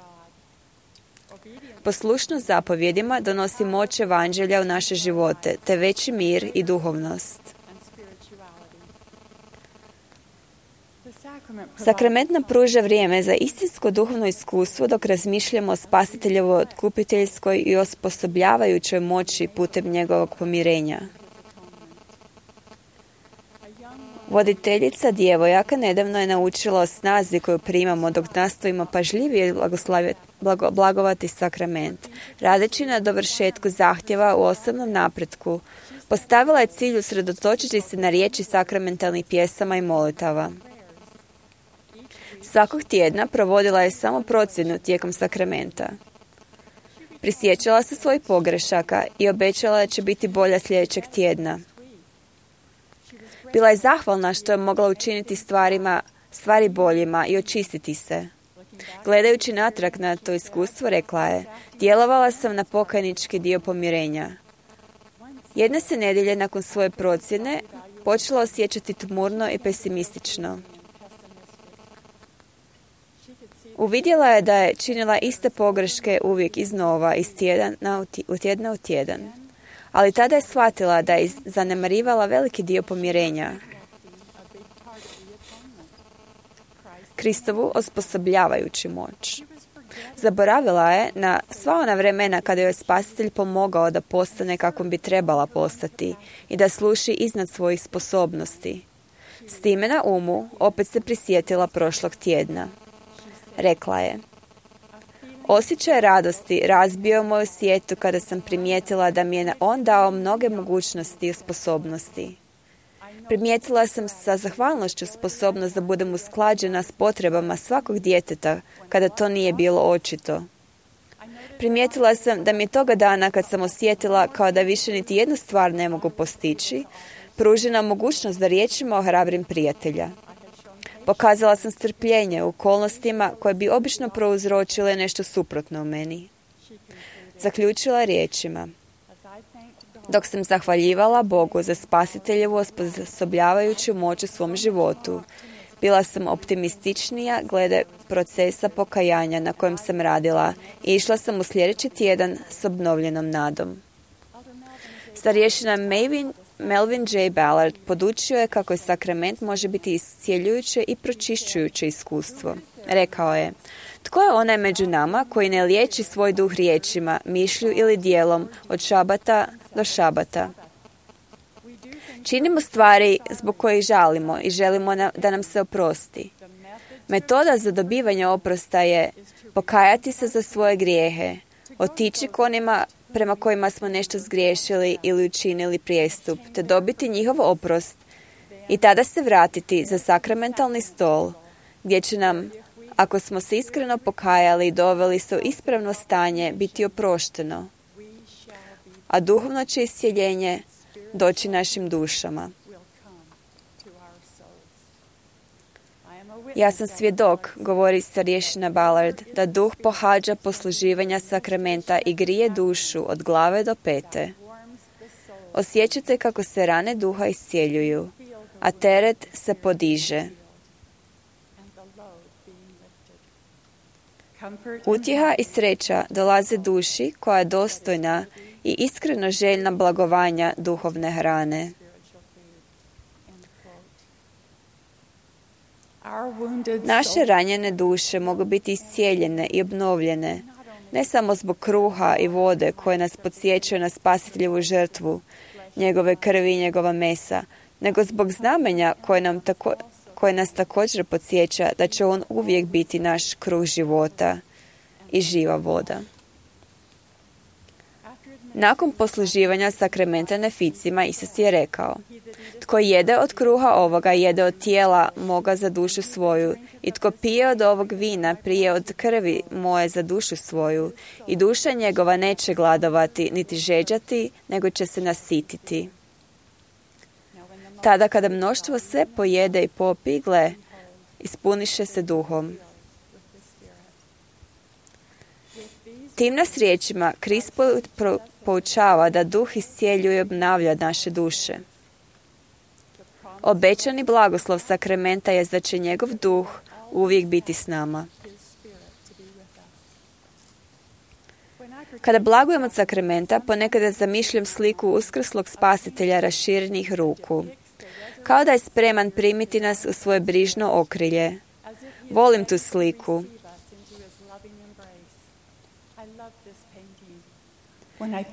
Poslušnost zapovjedima donosi moć evanđelja u naše živote, te veći mir i duhovnost. Sakrament nam pruža vrijeme za istinsko duhovno iskustvo dok razmišljamo o Spasiteljevoj otkupiteljskoj i osposobljavajućoj moći putem njegovog pomirenja. Voditeljica djevojaka nedavno je naučila o snazi koju primamo dok nastojimo pažljivije blagovati sakrament. Radeći na dovršetku zahtjeva u osobnom napretku, postavila je cilj usredotočiti se na riječi sakramentalnih pjesama i molitava. Svakog tjedna provodila je samo procjenu tijekom sakramenta. Prisjećala se svojih pogrešaka i obećala da će biti bolja sljedećeg tjedna. Bila je zahvalna što je mogla učiniti stvari boljima i očistiti se. Gledajući natrag na to iskustvo, rekla je: djelovala sam na pokajnički dio pomirenja. Jedne se nedjelje nakon svoje procjene počela osjećati tmurno i pesimistično. Uvidjela je da je činila iste pogreške uvijek iznova, iz tjedna u tjedan. Ali tada je shvatila da je zanemarivala veliki dio pomirenja. Kristovu osposobljavajuću moć. Zaboravila je na sva ona vremena kada joj je Spasitelj pomogao da postane kakvom bi trebala postati i da sluši iznad svojih sposobnosti. S time na umu opet se prisjetila prošlog tjedna. Rekla je: osjećaj radosti razbio moju svijetu kada sam primijetila da mi je on dao mnoge mogućnosti i sposobnosti. Primijetila sam sa zahvalnošću sposobnost da budem usklađena s potrebama svakog djeteta kada to nije bilo očito. Primijetila sam da mi je toga dana kad sam osjetila kao da više niti jednu stvar ne mogu postići, pružena mogućnost da riječima ohrabrim prijatelja. Pokazala sam strpljenje u okolnostima koje bi obično prouzročile nešto suprotno u meni. Zaključila riječima: dok sam zahvaljivala Bogu za Spasiteljevu osposobljavajuću moć u svom životu, bila sam optimističnija glede procesa pokajanja na kojem sam radila i išla sam u sljedeći tjedan s obnovljenom nadom. Starješina Melvin J. Ballard podučio je kako je sakrament može biti iscjeljujuće i pročišćujuće iskustvo. Rekao je: Tko je onaj među nama koji ne liječi svoj duh riječima, mišlju ili dijelom od šabata do šabata? Činimo stvari zbog kojih žalimo i želimo da nam se oprosti. Metoda za dobivanje oprosta je pokajati se za svoje grijehe, otići k onima prema kojima smo nešto zgriješili ili učinili prijestup, te dobiti njihov oprost i tada se vratiti za sakramentalni stol, gdje će nam, ako smo se iskreno pokajali i doveli se u ispravno stanje, biti oprošteno, a duhovno će iscjeljenje doći našim dušama. Ja sam svjedok, govori starješina Ballard, da duh pohađa posluživanja sakramenta i grije dušu od glave do pete. Osjećate kako se rane duha iscjeljuju, a teret se podiže. Utjeha i sreća dolaze duši koja je dostojna i iskreno željna blagovanja duhovne hrane. Naše ranjene duše mogu biti iscijeljene i obnovljene, ne samo zbog kruha i vode koje nas podsjećaju na spasiteljevu žrtvu, njegove krvi i njegova mesa, nego zbog znamenja koje nas također podsjeća da će on uvijek biti naš kruh života i živa voda. Nakon posluživanja sakramenta neficima, Isus je rekao: tko jede od kruha ovoga, jede od tijela moga za dušu svoju, i tko pije od ovog vina, prije od krvi moje za dušu svoju, i duša njegova neće gladovati, niti žeđati, nego će se nasititi. Tada kada mnoštvo sve pojede i popi, gle, ispuniše se duhom. Tim nas riječima Krist poučava da duh iscijeljuje i obnavlja naše duše. Obećani blagoslov sakramenta je da će njegov duh uvijek biti s nama. Kada blagujem od sakramenta, ponekada zamišljam sliku uskrslog spasitelja raširenih ruku, kao da je spreman primiti nas u svoje brižno okrilje. Volim tu sliku.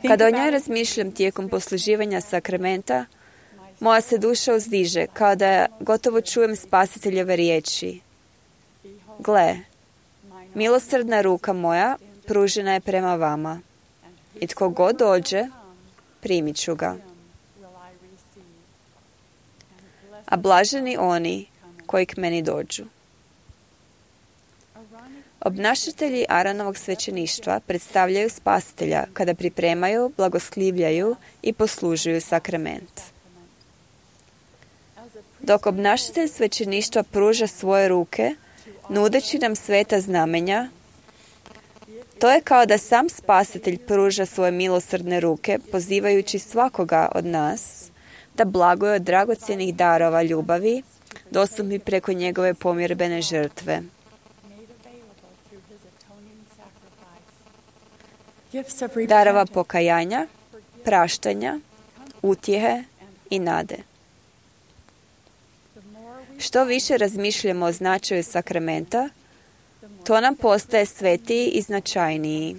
Kada o njoj razmišljam tijekom posluživanja sakramenta, moja se duša uzdiže, kao da gotovo čujem spasiteljeve riječi. Gle, milosrdna ruka moja pružena je prema vama, i tko god dođe, primit ću ga. A blaženi oni koji k meni dođu. Obnašatelji Aaronovog svećeništva predstavljaju spasitelja kada pripremaju, blagoslivljaju i poslužuju sakrament. Dok obnašatelj svećeništva pruža svoje ruke, nudeći nam sveta znamenja, to je kao da sam spasitelj pruža svoje milosrdne ruke, pozivajući svakoga od nas da blaguje od dragocjenih darova ljubavi, dostupni preko njegove pomirbene žrtve. Darova pokajanja, praštanja, utjehe i nade. Što više razmišljamo o značaju sakramenta, to nam postaje svetiji i značajniji.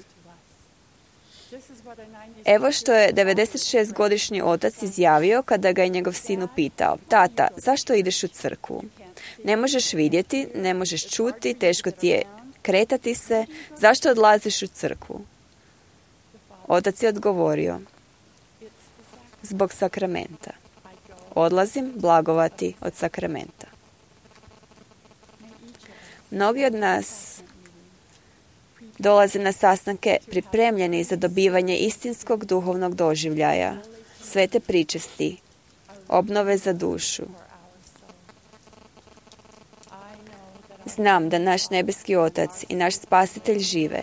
Evo što je 96-godišnji otac izjavio kada ga je njegov sin upitao: tata, zašto ideš u crkvu? Ne možeš vidjeti, ne možeš čuti, teško ti je kretati se, zašto odlaziš u crkvu? Otac je odgovorio: zbog sakramenta. Odlazim blagovati od sakramenta. Mnogi od nas dolaze na sastanke pripremljeni za dobivanje istinskog duhovnog doživljaja, svete pričesti, obnove za dušu. Znam da naš nebeski Otac i naš Spasitelj žive.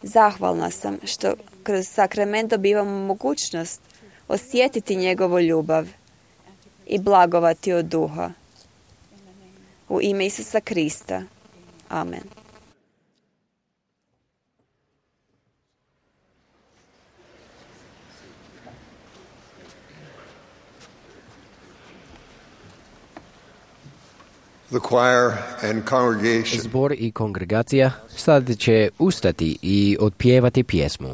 Zahvalna sam što kroz sakrament dobivamo mogućnost osjetiti njegovu ljubav i blagovati od duha. U ime Isusa Krista. Amen. The choir and congregation Zbor i kongregacija sad će ustati i otpjevati pjesmu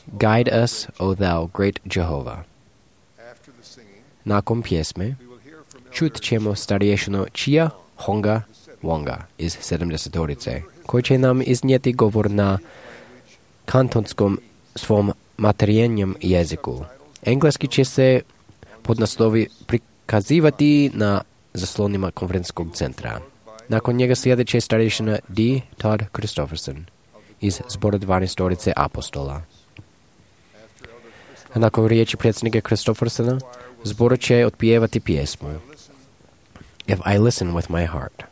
Guide us, O thou great Jehovah. Nakon pjesme čut ćemo starješinu Chia Honga Wonga iz 70-orice, koji će nam iznijeti govor na kantonskom svom materijenjem jeziku. Engleski će se podnaslovi prikazivati na zaslonima konferencijskog centra. Nakon njega sljedeće starješina D. Todd Christopherson iz zbora 12-orice apostola. A nakon riječi predsjednika Christophersona, zbor će otpjevati pjesmu If I Listen with My Heart.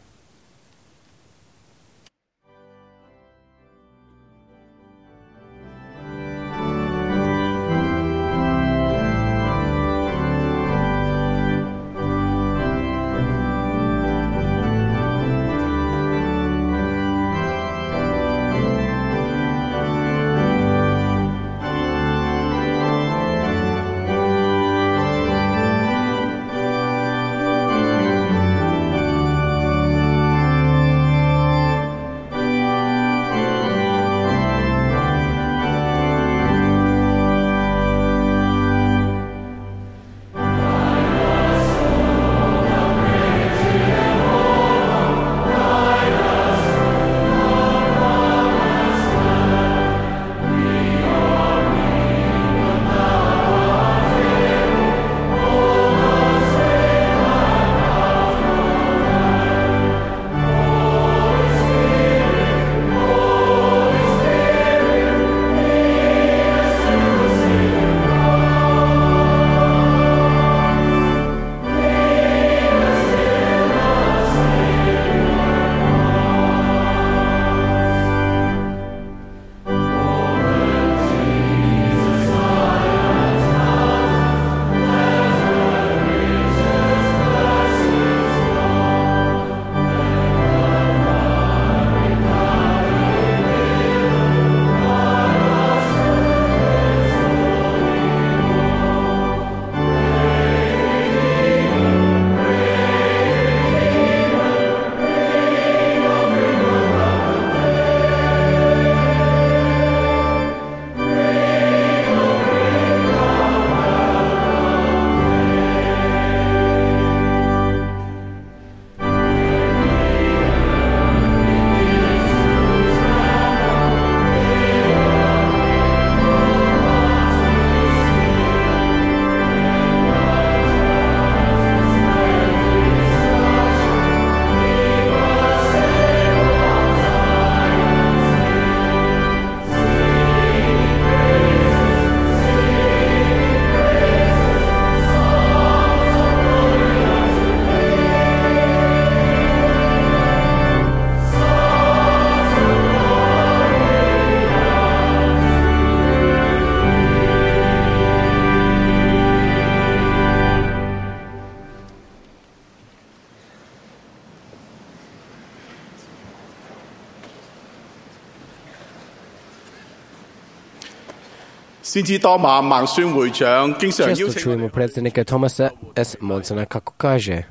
Često čujemo predsjednika Thomasa S. Monsona kako kaže: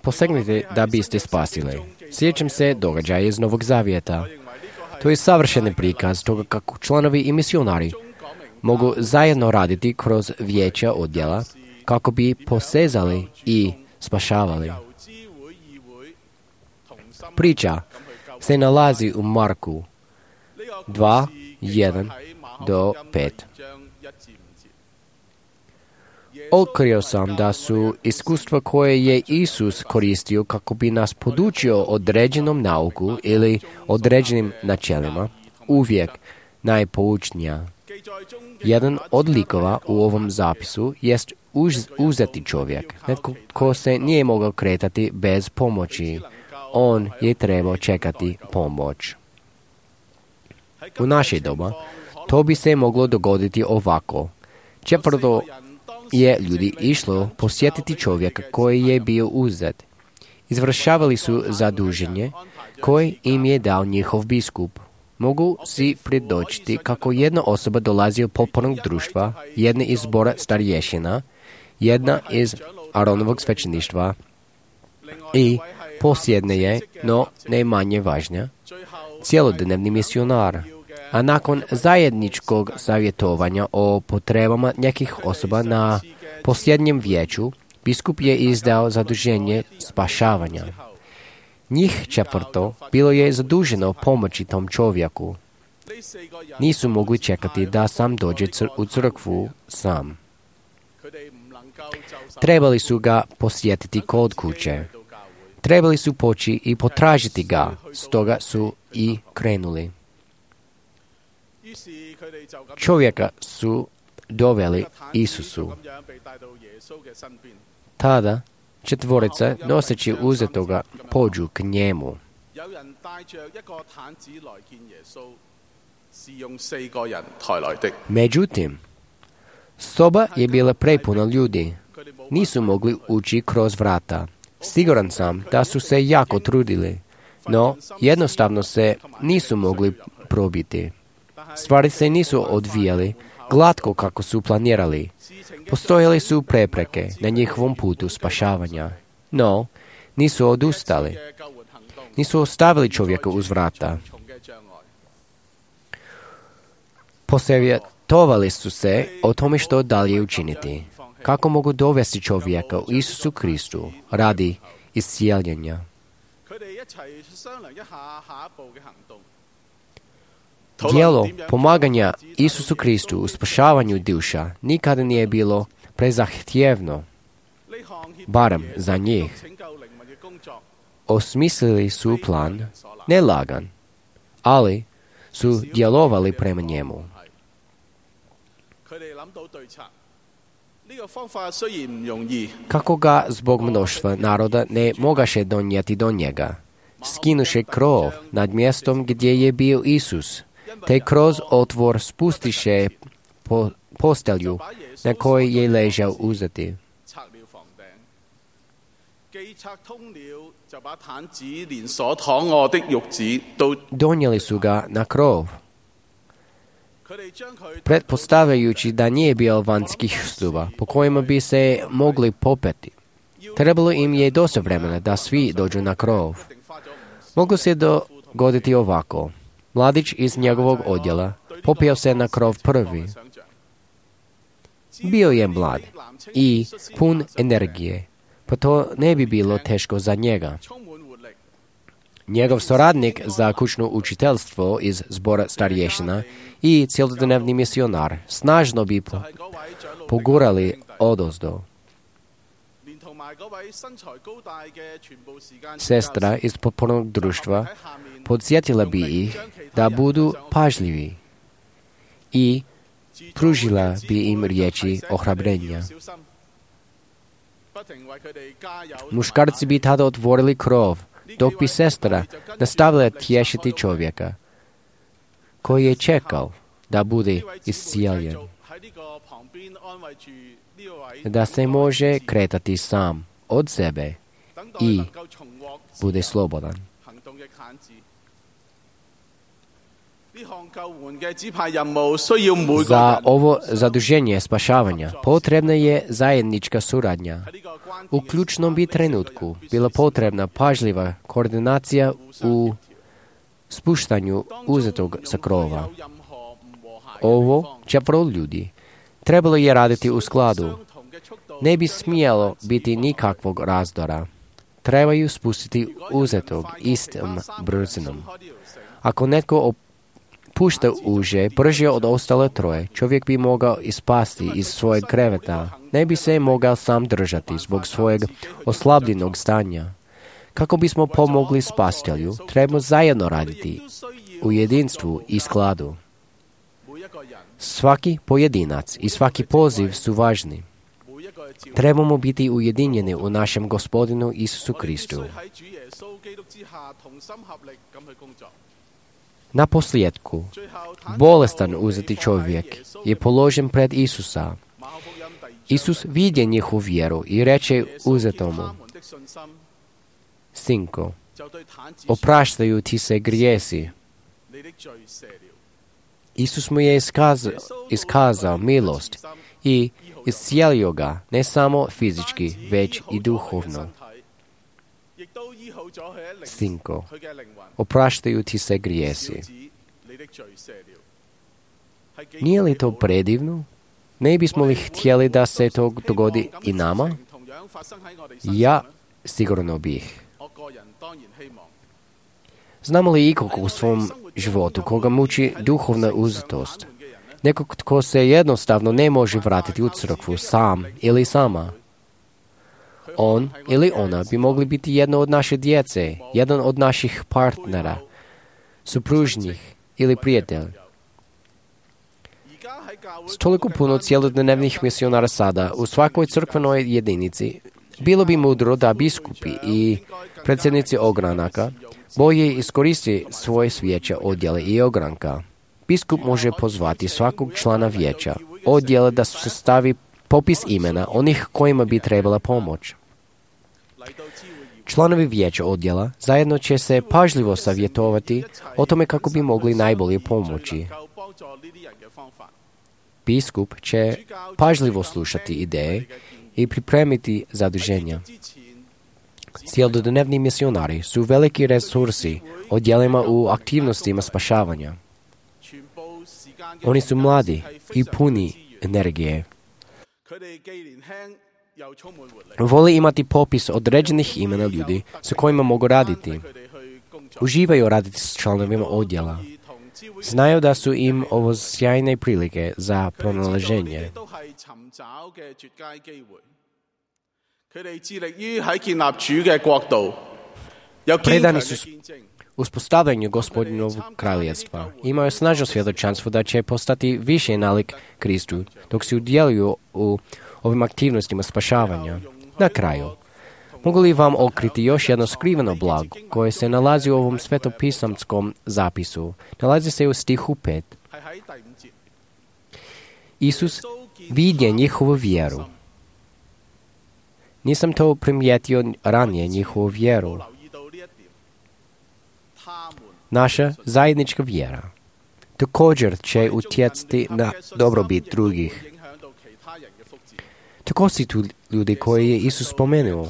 posegnite da biste spasili. Sjećam se događaja iz Novog Zavjeta. To je savršeni prikaz toga kako članovi i misionari mogu zajedno raditi kroz vijeća odjela kako bi posezali i spašavali. Priča se nalazi u Marku 2:1-5. Otkrio sam da su iskustva koje je Isus koristio kako bi nas podučio određenom nauku ili određenim načelima uvijek najpoučnija. Jedan od likova u ovom zapisu jest uzeti čovjek, netko ko se nije mogao kretati bez pomoći. On je trebao čekati pomoć. U naše doba to bi se moglo dogoditi ovako. Četvrto je ljudi išlo posjetiti čovjeka koji je bio uzet. Izvršavali su zaduženje koje im je dao njihov biskup. Mogu si predočiti kako jedna osoba dolazi od potpornog društva, jedna iz zbora starješina, jedna iz Aronovog svećeništva i Posljednje je, no ne manje važnja, cjelodnevni misionar, a nakon zajedničkog savjetovanja o potrebama nekih osoba na posljednjem vijeću, biskup je izdao zaduženje spašavanja. Njih 4 bilo je zaduženo pomoći tom čovjeku. Nisu mogli čekati da sam dođe u crkvu sam. Trebali su ga posjetiti kod kuće. Trebali su poći i potražiti ga, stoga su i krenuli. Čovjeka su doveli Isusu. Tada 4 noseći uzetoga pođu k njemu. Međutim, soba je bila prepuna ljudi. Nisu mogli ući kroz vrata. Siguran sam da su se jako trudili, no jednostavno se nisu mogli probiti. Stvari se nisu odvijali glatko kako su planirali. Postojale su prepreke na njihovom putu spašavanja, no nisu odustali. Nisu ostavili čovjeka uz vrata. Posavjetovali su se o tome što dalje učiniti. Kako mogu dovesti čovjeka u Isusu Kristu radi iscijeljenja. Djelo pomaganja Isusu Kristu u spašavanju duša nikada nije bilo prezahtjevno, barem za njih. Osmislili su plan, nelagan, ali su djelovali prema njemu. Kako ga zbog mnoštva naroda ne mogaše donijeti do njega, skinuše krov nad mjestom gdje je bio Isus, te kroz otvor spustiše postelju na kojoj je ležao uzeti. Donijeli su ga na krov, pretpostavljajući da nije bio vanjskih stuba po kojima bi se mogli popeti. Trebalo im je dosta vremena da svi dođu na krov. Moglo se dogoditi ovako. Mladić iz njegovog odjela popeo se na krov prvi. Bio je mlad i pun energije, pa to ne bi bilo teško za njega. Njegov suradnik za kućno učiteljstvo iz zbora starješina i cjelodnevni misionar snažno bi pogurali odozdo. Sestra iz potpornog društva podsjetila bi ih da budu pažljivi i pružila bi im riječi ohrabrenja. Muškarci bi tada otvorili krov, dok bi sestra nastavila tješiti čovjeka koji je čekao da bude iscijeljen, da se može kretati sam od sebe i bude slobodan. Za ovo zaduženje spašavanja potrebna je zajednička suradnja. U ključnom bi trenutku bila potrebna pažljiva koordinacija u spuštanju uzetog sa krova. Ovo 4 ljudi trebalo je raditi u skladu. Ne bi smjelo biti nikakvog razdora. Trebaju spustiti uzetog istom brzinom. Ako netko pušta uže brže od ostale 3, čovjek bi mogao ispasti iz svojeg kreveta. Ne bi se mogao sam držati zbog svojeg oslabljenog stanja. Kako bismo pomogli spasitelju, trebamo zajedno raditi u jedinstvu i skladu. Svaki pojedinac i svaki poziv su važni. Trebamo biti ujedinjeni u našem Gospodinu Isusu Kristu. Na posljedku, bolestan uzeti čovjek je položen pred Isusa. Isus vidje njihovu vjeru i reče uzetomu: Sinko, opraštaju ti se grijesi. Isus mu je iskazao milost i iscijelio ga ne samo fizički, već i duhovno. Sinko, opraštaju ti se grijesi. Nije li to predivno? Ne bismo li htjeli da se to dogodi i nama? Ja sigurno bih. Znamo li ikog u svom životu koga muči duhovna uzetost? Nekog tko se jednostavno ne može vratiti u crkvu sam ili sama? On ili ona bi mogli biti jedno od naše djece, jedan od naših partnera, supružnjih ili prijatelja. S toliko puno cjelodnevnih misionara sada u svakoj crkvenoj jedinici, bilo bi mudro da biskupi i predsjednici ogranaka bolje iskoriste svoje vijeća odjele i ogranka. Biskup može pozvati svakog člana vijeća odjela da se stavi popis imena onih kojima bi trebala pomoć. Članovi vijeća odjela zajedno će se pažljivo savjetovati o tome kako bi mogli najbolje pomoći. Biskup će pažljivo slušati ideje i pripremiti zaduženja. Cjelodnevni misionari su veliki resursi odjelima u aktivnostima spašavanja. Oni su mladi i puni energije. Vole imati popis određenih imena ljudi sa kojima mogu raditi. Uživaju raditi s članovima odjela. Znaju da su im ovo sjajne prilike za pronalaženje. Predani su uspostavljanju Gospodinovog kraljevstva. Imaju snažno svjedočanstvo da će postati više nalik Kristu, dok se udjeluju u ovim aktivnostima spašavanja. Na kraju, mogu li vam otkriti još jedno skriveno blago koje se nalazi u ovom svetopisamskom zapisu? Nalazi se u stihu 5. Isus vidje njihovu vjeru. Nisam to primijetio ranije, njihovu vjeru. Naša zajednička vjera također će utjecati na dobrobit drugih. Tako si tu ljudi koje je Isus spomenuo.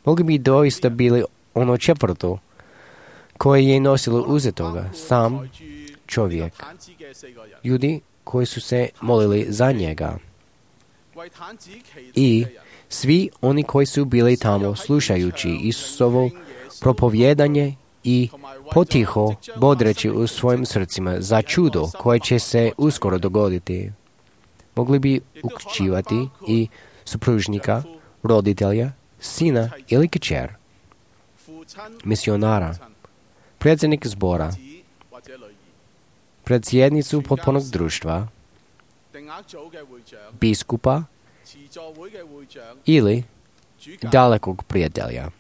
Mogli bi doista bili ono četvrto koje je nosilo uzetoga, sam čovjek. Ljudi koji su se molili za njega. I svi oni koji su bili tamo slušajući Isusovo propovjedanje i potiho bodreći u svojim srcima za čudo koje će se uskoro dogoditi. Mogli bi uključivati i supružnika, roditelja, sina ili kćer, misionara, predsjednik zbora, predsjednicu potpunog društva, biskupa ili dalekog prijatelja.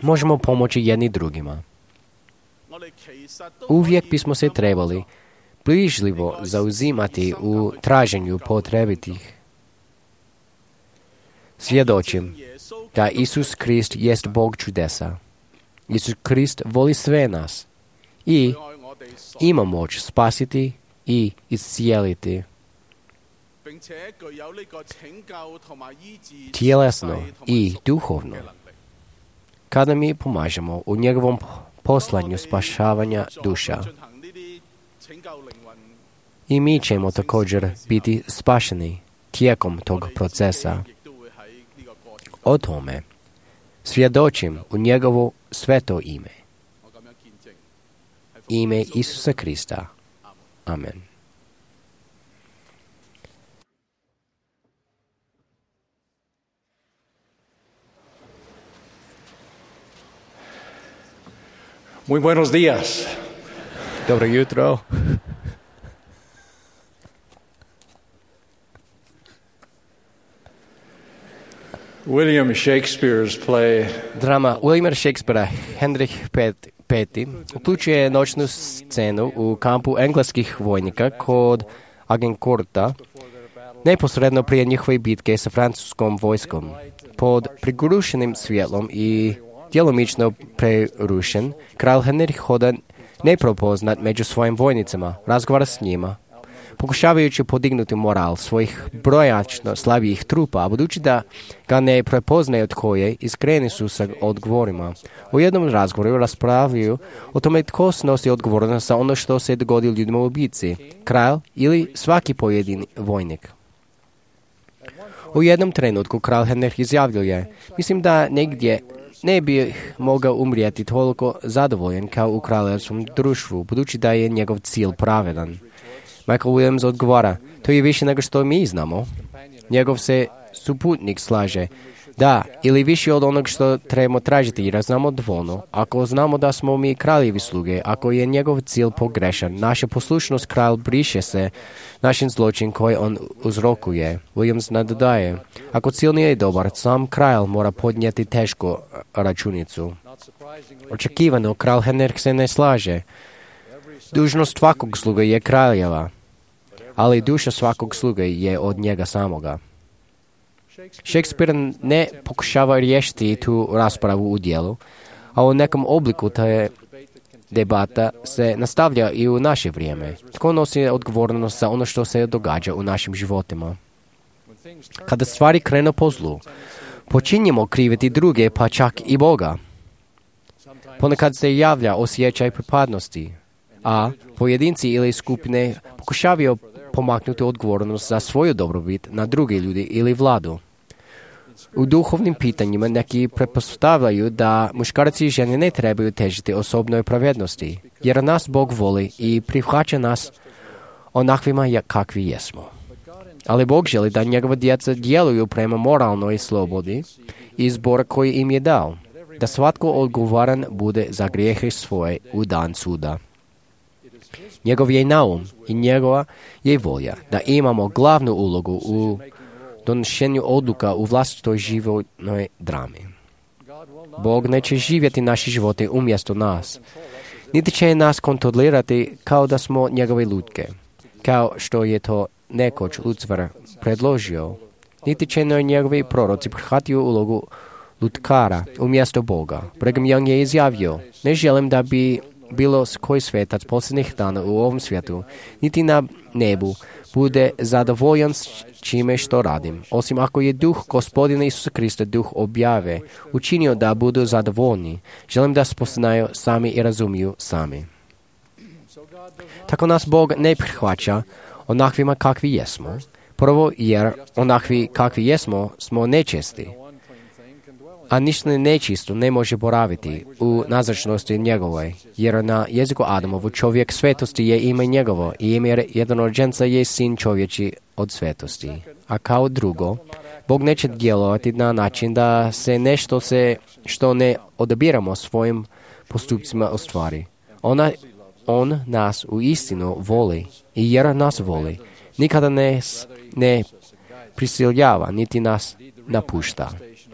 Možemo pomoći jedni drugima. Uvijek bismo se trebali bližljivo zauzimati u traženju potrebitih. Svjedočim da Isus Krist jest Bog čudesa. Isus Krist voli sve nas i ima moć spasiti i iscijeliti. Tjelesno i duhovno. Kada mi pomažemo u njegovom poslanju spašavanja duša, i mi ćemo također biti spašeni tijekom tog procesa. O tome svjedočim u njegovo sveto ime. Ime Isusa Krista. Amen. Muy buenos días. Dobro jutro. William Shakespeare's play Drama Williama Shakespearea Henrik V uključuje noćnu scenu u kampu engleskih vojnika kod Agincourta, neposredno prije njihove bitke sa francuskom vojskom. Pod prigušenim svjetlom i djelomično prerušen, kralj Henrik hoda neprepoznat među svojim vojnicama, razgovara s njima. pokušavajući podignuti moral svojih brojačno slabijih trupa, a budući da ga ne prepoznaju tko je, iskreni su sa odgovorima. U jednom razgovoru raspravljaju o tome tko snosi odgovornost za ono što se dogodi ljudima u bici, kralj ili svaki pojedini vojnik. U jednom trenutku kralj Henrik izjavljuje: mislim da negdje ne bi mogao umrijeti toliko zadovoljen kao u kraljevskom društvu, budući da je njegov cilj pravedan. Michael Williams odgovara: to je više nego što mi znamo. Njegov se suputnik slaže: da, ili više od onog što trebamo tražiti, jer znamo dovoljno. Ako znamo da smo mi kraljevi sluge, ako je njegov cilj pogrešan, naša poslušnost kralj briše se našim zločin koji on uzrokuje. Williams nadodaje: ako cilj nije dobar, sam kralj mora podnijeti tešku računicu. Očekivano, kralj Henrik se ne slaže. Dužnost svakog sluga je kraljeva, ali duša svakog sluge je od njega samoga. Shakespeare ne pokušava riješiti tu raspravu u dijelu, a u nekom obliku te debata se nastavlja i u naše vrijeme. Tko nosi odgovornost za ono što se događa u našim životima? Kada stvari krenu po zlu, počinjemo kriviti druge, pa čak i Boga. Ponekad se javlja osjećaj pripadnosti, a pojedinci ili skupine pokušavaju pomaknuti odgovornost za svoju dobrobit na druge ljudi ili vladu. U duhovnim pitanjima neki pretpostavljaju da muškarci i žene ne trebaju težiti osobnoj pravednosti, jer nas Bog voli i prihvaća nas onakvima kakvi jesmo. Ali Bog želi da njegova djeca djeluju prema moralnoj slobodi i izbora koji im je dao, da svatko odgovoran bude za grijehe svoje u dan suda. Njegov je naum i njegova je volja da imamo glavnu ulogu u donošenju odluka u vlastitoj životnoj drami. Bog neće živjeti naše živote umjesto nas, niti će nas kontrolirati kao da smo njegove lutke, kao što je to nekoć Lucifer predložio, niti će njegovi proroci prihvatiti ulogu lutkara umjesto Boga. Brigham Young je izjavio: ne želim da bi bilo koji svetac posljednjih dana u ovom svijetu, niti na nebu, bude zadovoljan s čime što radim, osim ako je duh Gospodina Isusa Krista, duh objave, učinio da budu zadovoljni. Želim da spoznaju sami i razumiju sami. Tako nas Bog ne prihvaća onakvima kakvi jesmo. Prvo, jer onakvi kakvi jesmo smo nečesti, a ništa nečisto ne može boraviti u nazočnosti njegovoj, jer na jeziku Adamovu čovjek svetosti je ime njegovo i ime jednorođenca je sin čovječi od svetosti. A kao drugo, Bog neće djelovati na način da se nešto što ne odabiramo svojim postupcima ostvari. On nas u istinu voli i jer nas voli, nikada ne prisiljava niti nas napušta.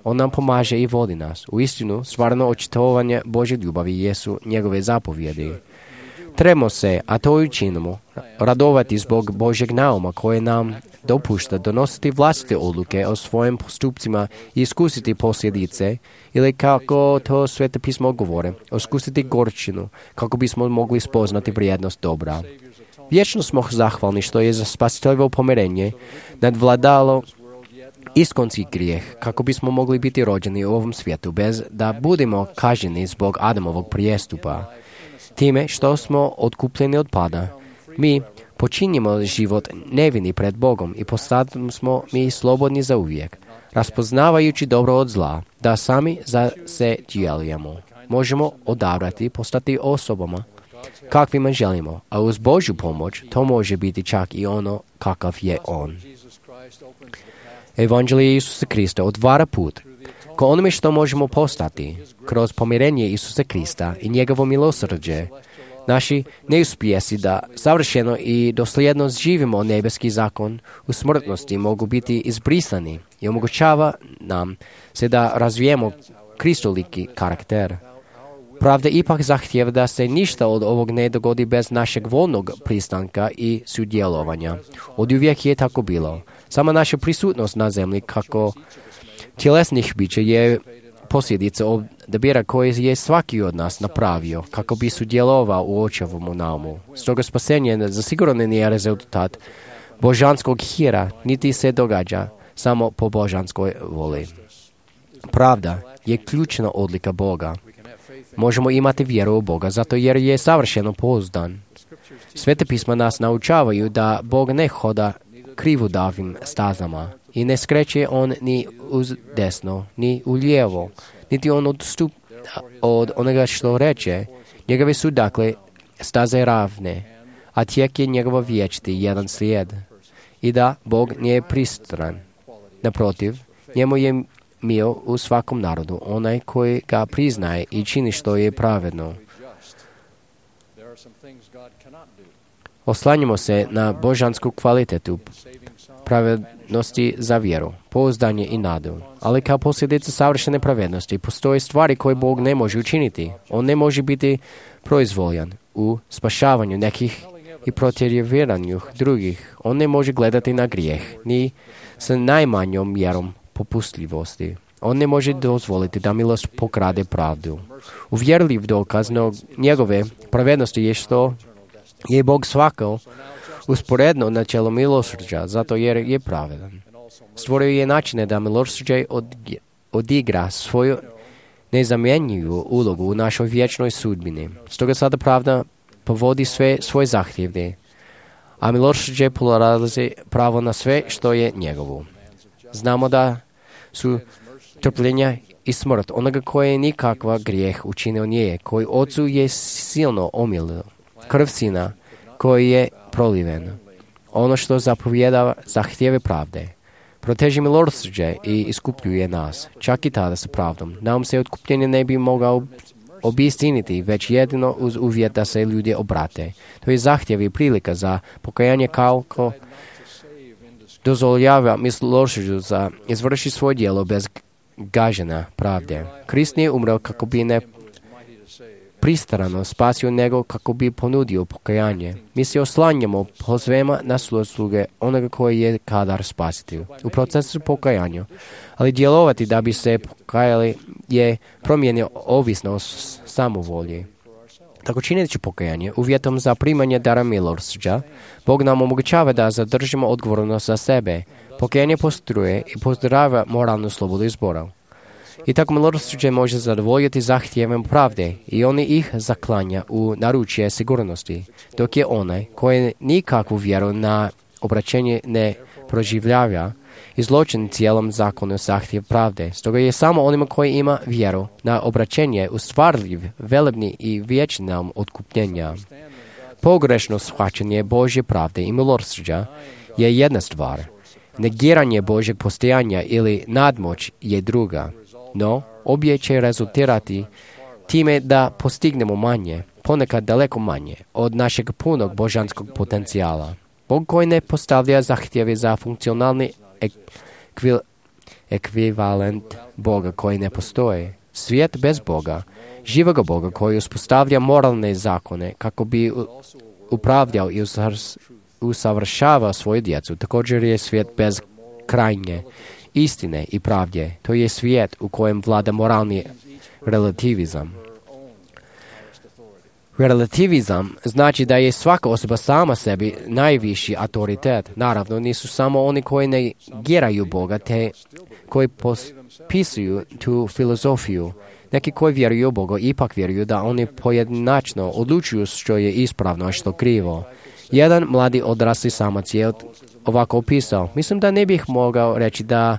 On nam pomaže i vodi nas. U istinu, stvarno očitovanje Božje ljubavi jesu njegove zapovjedi. Trebamo se, a to i učinimo, radovati zbog Božjeg nauma koje nam dopušta donositi vlastite odluke o svojim postupcima i iskusiti posljedice, ili kako to Sveto pismo govore, iskusiti gorčinu, kako bismo mogli spoznati vrijednost dobra. Vječno smo zahvalni što je za spasiteljevo pomirenje nadvladalo iskonski grijeh, kako bismo mogli biti rođeni u ovom svijetu bez da budemo kažnjeni zbog Adamovog prijestupa. Time što smo otkupljeni od pada, mi počinjemo život nevini pred Bogom i postali smo mi slobodni za uvijek, raspoznavajući dobro od zla, da sami za se djelujemo. Možemo odabrati postati osobama kakvima želimo, a uz Božju pomoć to može biti čak i ono kakav je On. Evanđelje Isusa Krista otvara put ko onome što možemo postati kroz pomirenje Isusa Krista i njegovo milosrđe. Naši neuspjesi da savršeno i dosljedno živimo nebeski zakon u smrtnosti mogu biti izbrisani i omogućava nam se da razvijemo kristoliki karakter. Pravda ipak zahtjeva da se ništa od ovog ne dogodi bez našeg voljnog pristanka i sudjelovanja. Oduvijek je tako bilo. Sama naša prisutnost na zemlji kako tjelesnih bića je posljedica odabira koji je svaki od nas napravio kako bi sudjelovao u očevomu naumu. Stoga spasenje zasigurno nije rezultat božanskog hira, niti se događa samo po božanskoj voli. Pravda je ključna odlika Boga. Možemo imati vjeru u Boga zato jer je savršeno pouzdan. Svete pisma nas naučavaju da Bog ne hoda krivudavim stazama i ne skreće on ni uz desno, ni u lijevo, niti on odstupa od onoga što reče. Njegove su dakle staze ravne, a tijek je njegova vječiti jedan slijed. I da Bog nije pristran. Naprotiv, njemu je mio u svakom narodu, onaj koji ga priznaje i čini što je pravedno. Oslanjamo se na božansku kvalitetu pravednosti za vjeru, pouzdanje i nadu. Ali kao posljedica savršene pravednosti postoje stvari koje Bog ne može učiniti. On ne može biti proizvoljan u spašavanju nekih i protjerivanju drugih. On ne može gledati na grijeh, ni sa najmanjom mjerom popustljivosti. On ne može dozvoliti da milost pokrade pravdu. Uvjerljiv dokaz njegove pravednosti je što je Bog svakao usporedno načelo milosrđa, zato jer je pravedan. Stvorio je načine da milosrđe odigra svoju nezamjenjivu ulogu u našoj vječnoj sudbini. Stoga sada pravda povodi sve svoje zahtjeve, a milosrđe polarazi pravo na sve što je njegovo. Znamo da su trpljenja i smrt onoga koje nikakva grijeh učinio nije, koji ocu je silno omilio, krv sina koji je proliven. Ono što zapovjedava zahtjeve pravde. Proteži milosrđe i iskupljuje nas, čak i tada sa pravdom. Nam se otkupljenje ne bi mogao obistiniti, već jedino uz uvjet da se ljudi obrate. To je zahtjev i prilika za pokajanje kako dozvoljava milosrđu za izvrši svoje djelo bez gaženja pravde. Krist nije umreo kako bi ne pristrano spasio nego kako bi ponudio pokajanje. Mi se oslanjamo pozvema na sluge onoga koji je kadar spasiti u procesu pokajanja. Ali djelovati da bi se pokajali je promijenio ovisno o samovolji. Tako čineći pokajanje uvjetom za primanje dara milosrđa, Bog nam omogućava da zadržimo odgovornost za sebe. Pokajanje postruje i pozdravlja moralnu slobodu izbora. I tako milosrđe može zadovoljiti zahtjevem pravde i on ih zaklanja u naručje sigurnosti, dok je onaj koji nikakvu vjeru na obraćenje ne proživljava izločen cijelom zakonu zahtjev pravde. Stoga je samo onima koji ima vjeru na obraćenje ustvarljiv, velebni i vječni nam otkupljenja. Pogrešno shvaćanje Božje pravde i milosrđa je jedna stvar. Negiranje Božjeg postojanja ili nadmoć je druga. No, obje će rezultirati time da postignemo manje, ponekad daleko manje, od našeg punog božanskog potencijala. Bog koji ne postavlja zahtjeve za funkcionalni ekvivalent Boga koji ne postoje. Svijet bez Boga, živoga Boga koji uspostavlja moralne zakone kako bi upravljao i usavršavao svoju djecu. Također je svijet bez krajnje istine i pravde. To je svijet u kojem vlada moralni relativizam. Relativizam znači da je svaka osoba sama sebi najviši autoritet. Naravno, nisu samo oni koji negiraju Boga, te koji potpisuju tu filozofiju. Neki koji vjeruju u Boga ipak vjeruju da oni pojedinačno odlučuju što je ispravno, a što krivo. Jedan mladi odrasli samac je ovako opisao: mislim da ne bih mogao reći da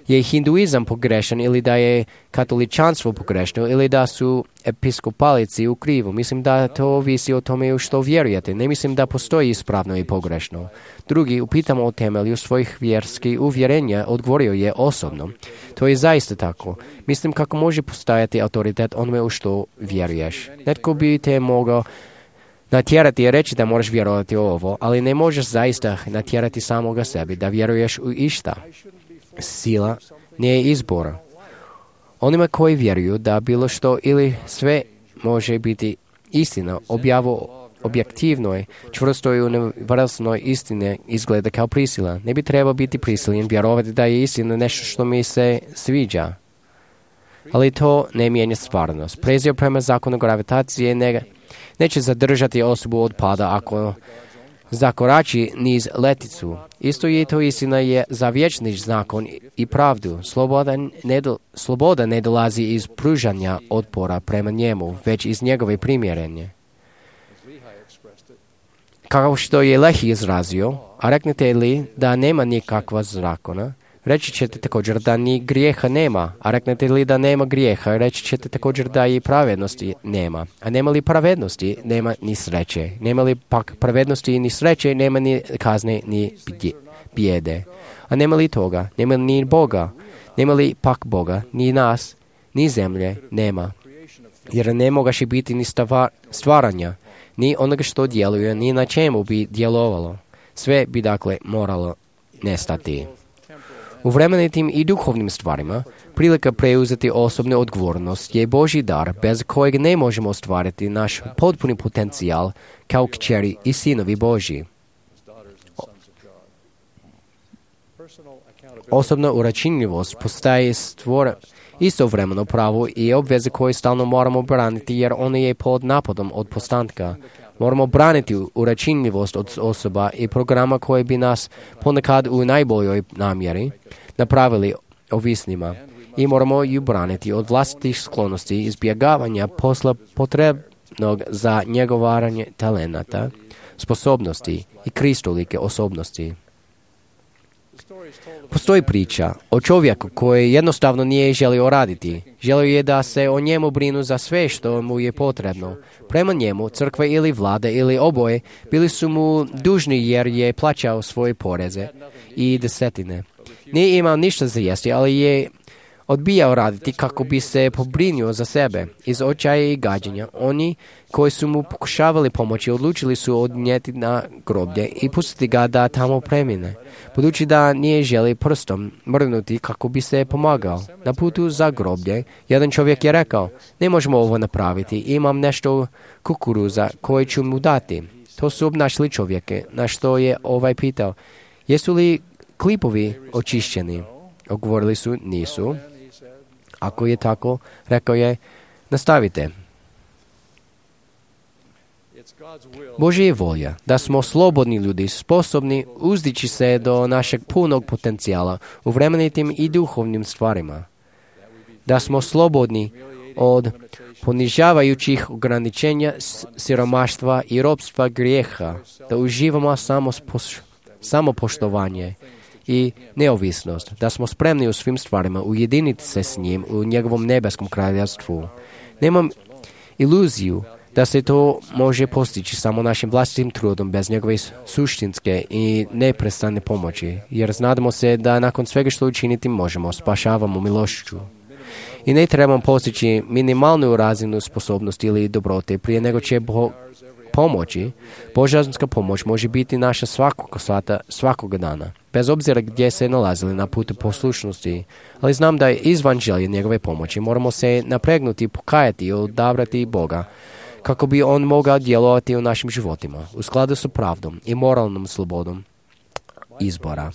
je hinduizam pogrešan ili da je katoličanstvo pogrešno ili da su episkopalici u krivu. Mislim da to ovisi o tome u što vjerujete. Ne mislim da postoji ispravno i pogrešno. Drugi, upitamo o temelju svojih vjerskih uvjerenja, odgovorio je osobno. To je zaista tako. Mislim kako može postajati autoritet onome u što vjeruješ. Netko bi te mogao natjerati i reći da moraš vjerovati u ovo, ali ne možeš zaista natjerati samoga sebi da vjeruješ u išta. Sila nije izbor. Onima koji vjeruju da bilo što ili sve može biti istina, objektivnoj, čvrstoj univerzalnoj istine izgleda kao prisila. Ne bi trebao biti prisiljen vjerovati da je istina nešto što mi se sviđa. Ali to ne mijenja stvarnost. Prezir prema zakonu gravitacije neće zadržati osobu od pada ako zakorači niz leticu. Isto je to istina je za vječni zakon i pravdu. Sloboda ne dolazi iz pružanja otpora prema njemu, već iz njegove primjerenje. Kao što je Lehi izrazio, a reknete li da nema nikakva zakona, reći ćete također da ni grijeha nema, a reknete li da nema grijeha, reći ćete također da i pravednosti nema. A nema li pravednosti, nema ni sreće. Nema li pak pravednosti ni sreće, nema ni kazne ni bijede. A nema li toga, nema ni Boga, nema li pak Boga, ni nas, ni zemlje, nema. Jer ne mogaše biti ni stvaranja, ni onoga što djeluje, ni na čemu bi djelovalo. Sve bi dakle moralo nestati. U vremenitim i duhovnim stvarima, prilika preuzeti osobnu odgovornost je Božji dar bez kojeg ne možemo ostvariti naš potpuni potencijal kao kćeri i sinovi Božji. Osobna uračunljivost postaje istovremeno pravo i obveze koje stalno moramo braniti jer ona je pod napadom od postanka. Moramo braniti uračunljivost od osoba i programa koje bi nas ponekad u najboljoj namjeri napravili ovisnima i moramo ju braniti od vlastitih sklonosti izbjegavanja posla potrebnog za njegovanje talenata, sposobnosti i kristolike osobnosti. Postoji priča o čovjeku koji jednostavno nije želio raditi. Želio je da se o njemu brinu za sve što mu je potrebno. Prema njemu, crkva ili vlada ili oboje bili su mu dužni jer je plaćao svoje poreze i desetine. Nije imao ništa za jesti, ali je odbijao raditi kako bi se pobrinuo za sebe. Iz očaja i gađenja, oni koji su mu pokušavali pomoći odlučili su odnijeti na groblje i pustiti ga da tamo premine. Budući da nije želi prstom mrdnuti kako bi se pomagao. Na putu za groblje, jedan čovjek je rekao, ne možemo ovo napraviti, imam nešto kukuruza koje ću mu dati. To su obnašli čovjeke, na što je pitao, jesu li klipovi očišćeni? Odgovorili su, nisu. Ako je tako, rekao je, nastavite. Božja je volja da smo slobodni ljudi, sposobni uzdići se do našeg punog potencijala u vremenitim i duhovnim stvarima. Da smo slobodni od ponižavajućih ograničenja, siromaštva i ropstva grijeha, da uživamo samopoštovanje i neovisnost, da smo spremni u svim stvarima ujediniti se s njim u njegovom nebeskom kraljevstvu. Nemam iluziju da se to može postići samo našim vlastitim trudom bez njegove suštinske i neprestane pomoći, jer znademo se da nakon svega što učiniti možemo, spašavamo milošću. I ne trebamo postići minimalnu razinu sposobnosti ili dobrote prije nego će pomoći. Božanska pomoć može biti naša svakog dana, bez obzira gdje se nalazili na putu poslušnosti. Ali znam da je izvan želje njegove pomoći. Moramo se napregnuti, pokajati i odabrati Boga, kako bi on mogao djelovati u našim životima, u skladu sa pravdom i moralnom slobodom izbora.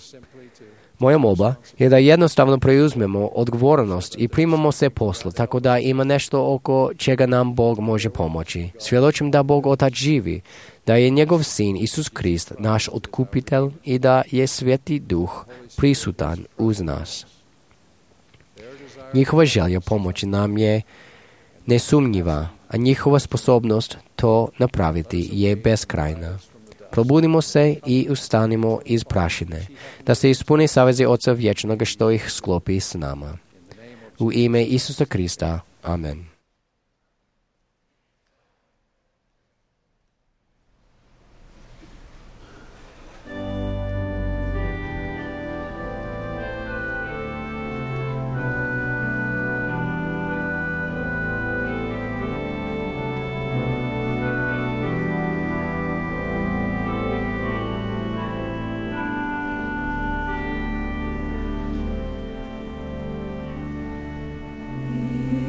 Moja molba je da jednostavno preuzmemo odgovornost i primamo se poslu, tako da ima nešto oko čega nam Bog može pomoći. Svjedočim da Bog Otac živi, da je njegov Sin Isus Krist naš otkupitelj i da je Sveti Duh prisutan uz nas. Njihova želja pomoći nam je nesumnjiva, a njihova sposobnost to napraviti je beskrajna. Probudimo se i ustanimo iz prašine, da se ispuni savezi Oca Vječnoga što ih sklopi s nama. U ime Isusa Krista. Amen.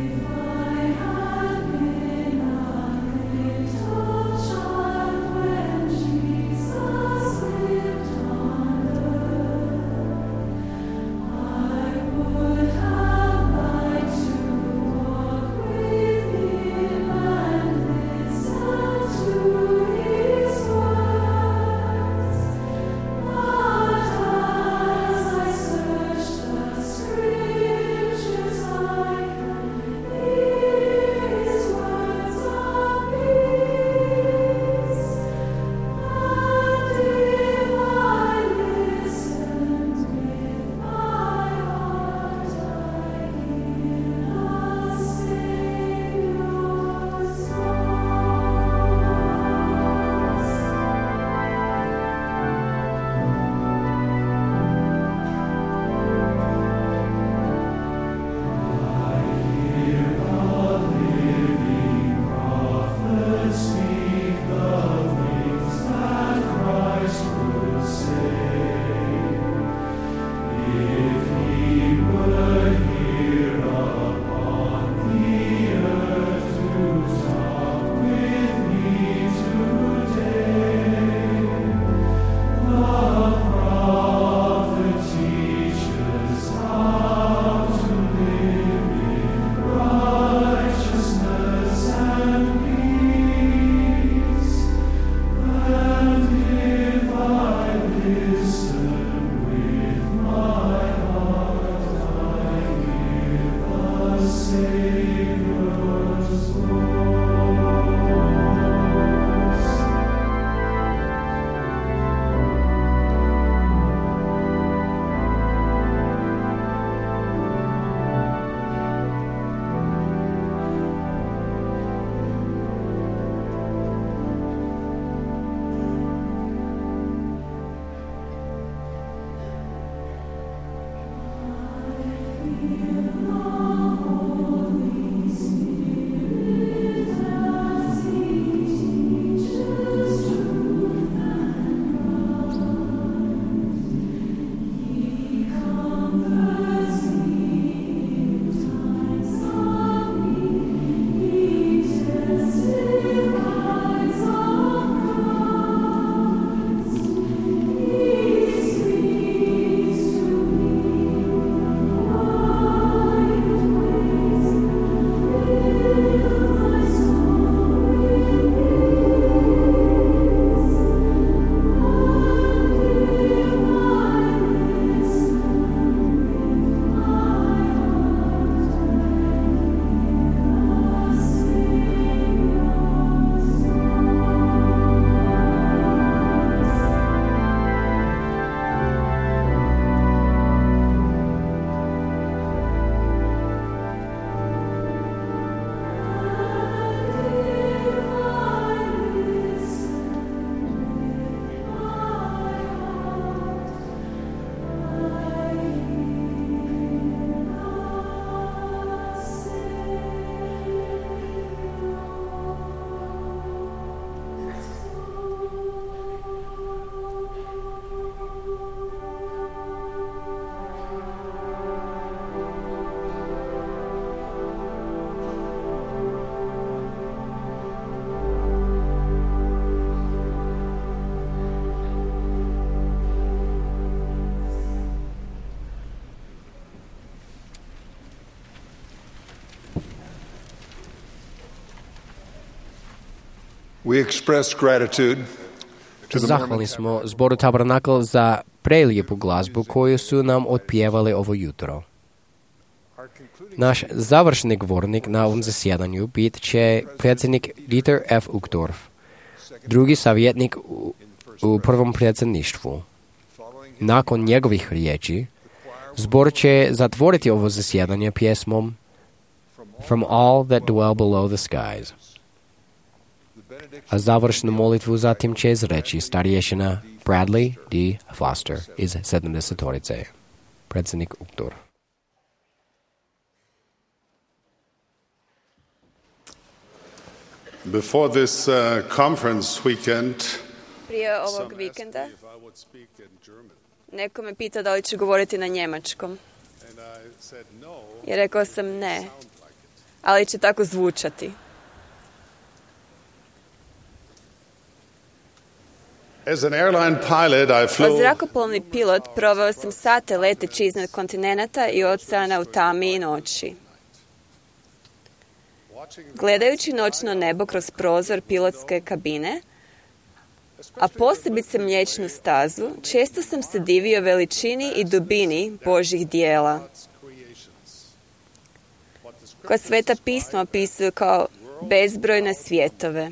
If I We express gratitude to the Zahvalni Mormon smo zboru Tabernakl za prelijepu glazbu koju su nam otpjevali ovo jutro. Naš završni govornik na ovom zasjedanju bit će predsjednik Dieter F. Uchtdorf, drugi savjetnik u prvom predsjedništvu. Nakon njegovih riječi, zbor će zatvoriti ovo zasjedanje pjesmom From All That Dwell Below the Skies. A završnu molitvu zatim će izreći starješina Bradley D. Foster iz 70-torice. Predsjednik Uchtdorf. Before this conference weekend, Prije ovog vikenda neko me pitao da li ću govoriti na njemačkom. I rekao sam ne, ali će tako zvučati. As an airline pilot, I Kao flew zrakoplovni pilot proveo sam sate leteći iznad kontinenata i oceana u tami i noći. Gledajući noćno nebo kroz prozor pilotske kabine, a posebice Mliječnu stazu, često sam se divio veličini i dubini Božjih dijela, koja Sveta pisma opisuju kao bezbrojne svjetove.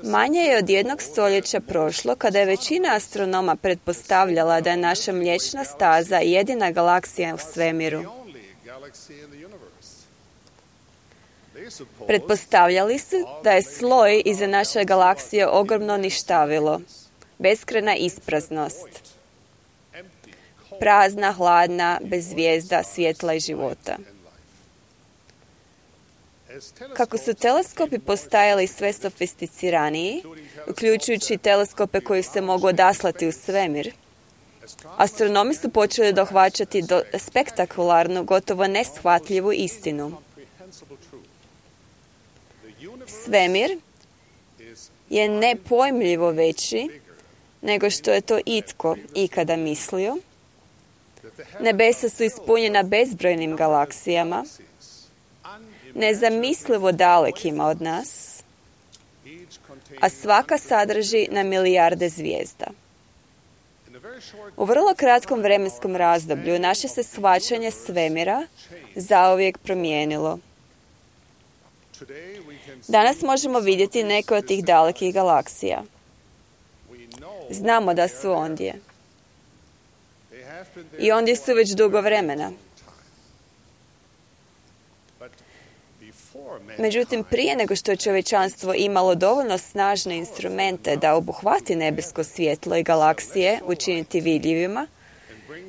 Manje je od 1 stoljeća prošlo kada je većina astronoma pretpostavljala da je naša Mliječna staza jedina galaksija u svemiru. Pretpostavljali su da je sloj iza naše galaksije ogromno ništavilo, beskrajna ispraznost, prazna, hladna, bez zvijezda, svjetla i života. Kako su teleskopi postajali sve sofisticiraniji, uključujući teleskope koji se mogu odaslati u svemir, astronomi su počeli dohvaćati spektakularnu, gotovo neshvatljivu istinu. Svemir je nepojmljivo veći nego što je to itko ikada mislio. Nebesa su ispunjena bezbrojnim galaksijama, nezamislivo dalekima od nas, a svaka sadrži na milijarde zvijezda. U vrlo kratkom vremenskom razdoblju naše se shvaćanje svemira zauvijek promijenilo. Danas možemo vidjeti neke od tih dalekih galaksija. Znamo da su ondje. I ondje su već dugo vremena. Međutim, prije nego što je čovječanstvo imalo dovoljno snažne instrumente da obuhvati nebesko svjetlo i galaksije učiniti vidljivima,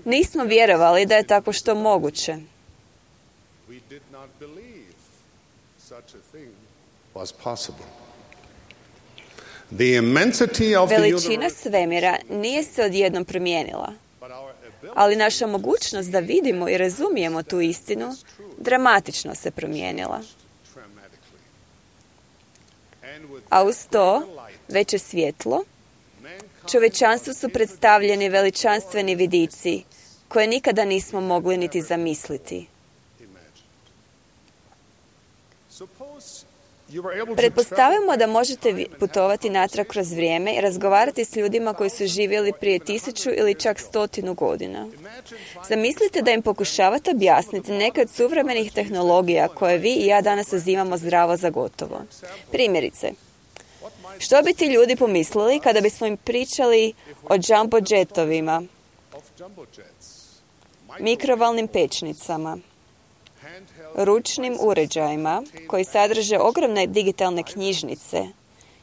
nismo vjerovali da je tako što moguće. Veličina svemira nije se odjednom promijenila, ali naša mogućnost da vidimo i razumijemo tu istinu dramatično se promijenila. A uz to, veće svjetlo, čovječanstvu su predstavljeni veličanstveni vidici koje nikada nismo mogli niti zamisliti. Pretpostavimo da možete putovati natrag kroz vrijeme i razgovarati s ljudima koji su živjeli prije 1000 ili čak 100 godina. Zamislite da im pokušavate objasniti neke od suvremenih tehnologija koje vi i ja danas uzimamo zdravo za gotovo. Primjerice, što bi ti ljudi pomislili kada bismo im pričali o jumbo jetovima, mikrovalnim pečnicama, ručnim uređajima koji sadrže ogromne digitalne knjižnice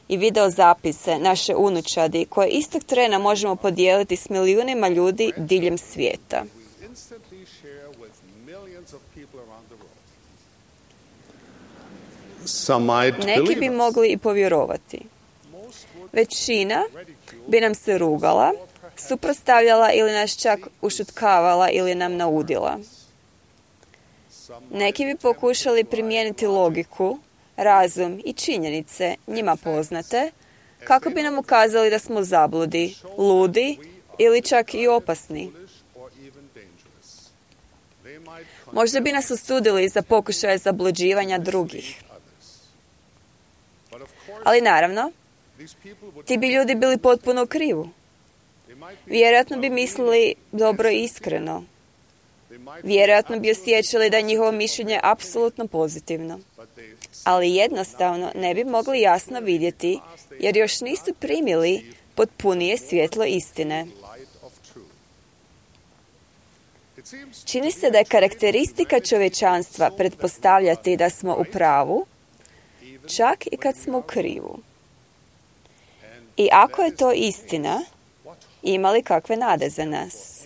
i videozapise naše unučadi koje istog trena možemo podijeliti s milijunima ljudi diljem svijeta. Neki bi mogli i povjerovati. Većina bi nam se rugala, suprotstavljala ili nas čak ušutkavala ili nam naudila. Neki bi pokušali primijeniti logiku, razum i činjenice njima poznate, kako bi nam ukazali da smo zabludi, ludi ili čak i opasni. Možda bi nas osudili za pokušaje zabluđivanja drugih. Ali naravno, ti bi ljudi bili potpuno u krivu. Vjerojatno bi mislili dobro i iskreno. Vjerojatno bi osjećali da je njihovo mišljenje apsolutno pozitivno. Ali jednostavno ne bi mogli jasno vidjeti, jer još nisu primili potpunije svjetlo istine. Čini se da je karakteristika čovječanstva pretpostavljati da smo u pravu, čak i kad smo u krivu. I ako je to istina, ima li kakve nade za nas?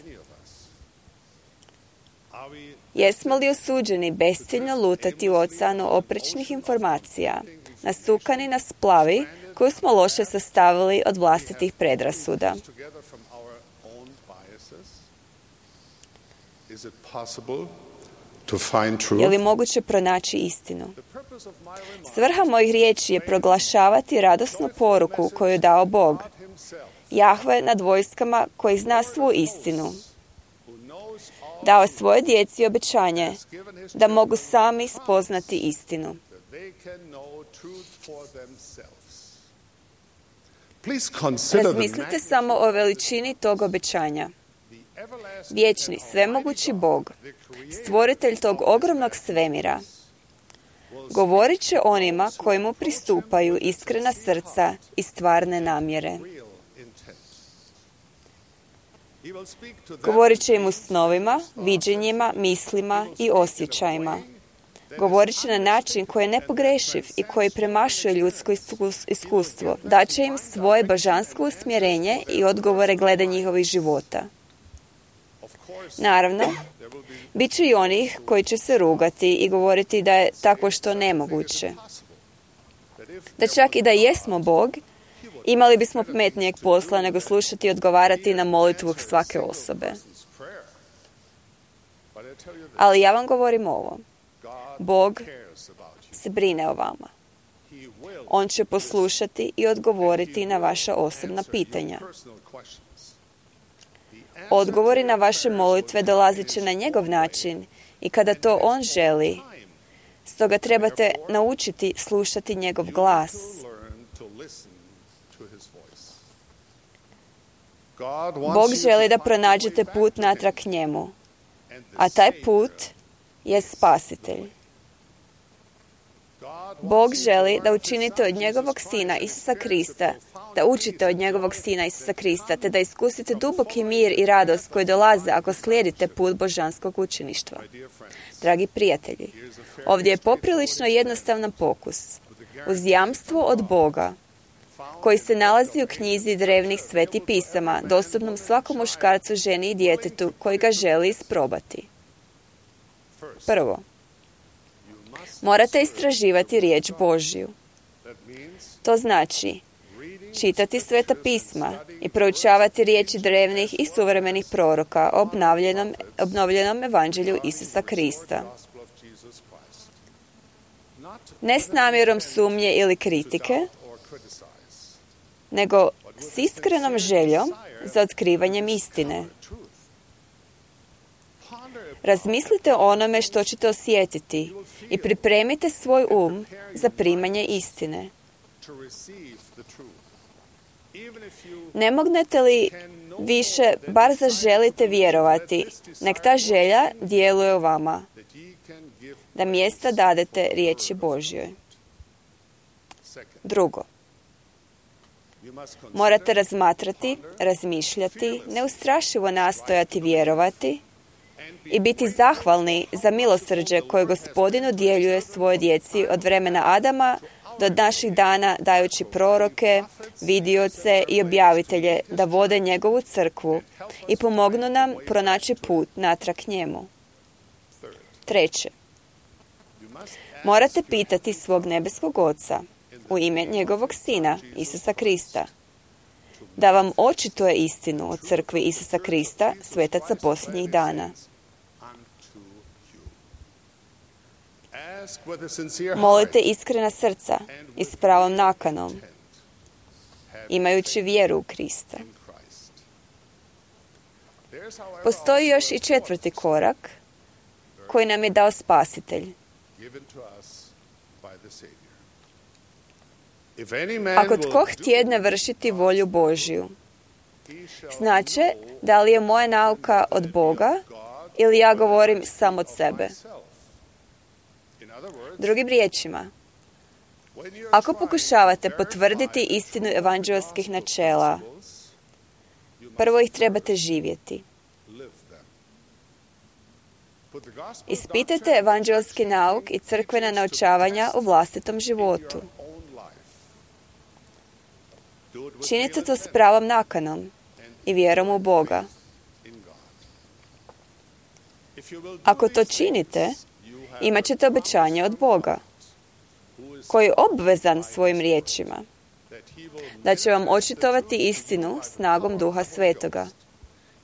Jesmo li osuđeni besciljno lutati u oceanu oprečnih informacija, nasukani na splavi koju smo loše sastavili od vlastitih predrasuda? Je li moguće pronaći istinu? Svrha mojih riječi je proglašavati radosnu poruku koju je dao Bog, Jahve nad vojskama, koji zna svu istinu. Dao svoje djeci obećanje da mogu sami spoznati istinu. Razmislite samo o veličini tog obećanja. Vječni, svemogući Bog, stvoritelj tog ogromnog svemira, govorit će onima koji mu pristupaju iskrena srca i stvarne namjere. Govorit će im u snovima, viđenjima, mislima i osjećajima. Govorit će na način koji je nepogrešiv i koji premašuje ljudsko iskustvo. Daće im svoje božansko usmjerenje i odgovore glede njihovih života. Naravno, bit će i onih koji će se rugati i govoriti da je tako što nemoguće. Da čak i da jesmo Bog, imali bismo pametnijeg posla nego slušati i odgovarati na molitvu svake osobe. Ali ja vam govorim ovo. Bog se brine o vama. On će poslušati i odgovoriti na vaša osobna pitanja. Odgovori na vaše molitve dolazit će na njegov način i kada to on želi. Stoga trebate naučiti slušati njegov glas. Bog želi da pronađete put natrag k njemu, a taj put je spasitelj. Bog želi da učinite od njegovog Sina Isusa Krista, da učite od njegovog Sina Isusa Krista, te da iskusite duboki mir i radost koji dolaze ako slijedite put božanskog učeništva. Dragi prijatelji, ovdje je poprilično jednostavan pokus. Uz jamstvo od Boga, koji se nalazi u knjizi drevnih svetih pisama, dostupnom svakom muškarcu, ženi i djetetu koji ga želi isprobati. Prvo, morate istraživati riječ Božju. To znači čitati sveta pisma i proučavati riječi drevnih i suvremenih proroka o obnovljenom evanđelju Isusa Krista. Ne s namjerom sumnje ili kritike, nego s iskrenom željom za otkrivanjem istine. Razmislite o onome što ćete osjetiti i pripremite svoj za primanje istine. Ne mognete li više, bar zaželite vjerovati, nek ta želja djeluje u vama, da mjesta dadete riječi Božjoj. Drugo, morate razmatrati, razmišljati, neustrašivo nastojati vjerovati i biti zahvalni za milosrđe koje Gospodin udjeljuje svojoj djeci od vremena Adama do naših dana, dajući proroke, vidioce i objavitelje da vode njegovu crkvu i pomognu nam pronaći put natrag njemu. Treće, morate pitati svog nebeskog Oca u ime njegovog Sina, Isusa Krista, da vam očituje istinu o crkvi Isusa Krista, svetaca posljednjih dana. Molite iskrena srca i s pravom nakanom, imajući vjeru u Krista. Postoji još i četvrti korak koji nam je dao Spasitelj. If any man Ako will tko htjedne vršiti volju Božju, znače da li je moja nauka od Boga ili ja govorim sam od sebe. in other words, Drugim riječima, when you're ako trying pokušavate to potvrditi verify istinu evanđelskih načela, principles, you must prvo ih trebate živjeti. live them. Put the gospel Ispitajte doctrine evanđelski nauk i crkvena naučavanja u vlastitom životu. in your own life. Do it with Činite real to s intent pravom nakanom and i vjerom u Boga. in God. If you will do Ako to these činite, things, you have imat ćete obećanje od Boga, who is koji je obvezan svojim riječima, that he will da će vam očitovati istinu snagom Duha Svetoga.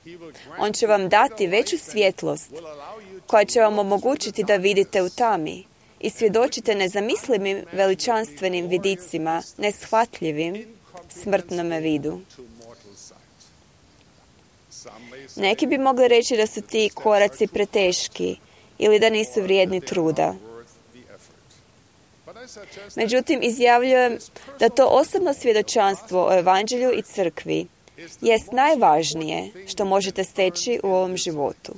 he will grant On će vam dati veću svjetlost will allow you to koja će vam omogućiti da vidite u tami i svjedočite nezamislivim veličanstvenim vidicima, neshvatljivim smrtnome vidu. to mortal sight. Some may say Neki bi mogli reći da su ti koraci preteški ili da nisu vrijedni truda. worth the effort. But I suggest Međutim, izjavljujem da to osobno svjedočanstvo o evanđelju i crkvi jest najvažnije što možete steći u ovom životu.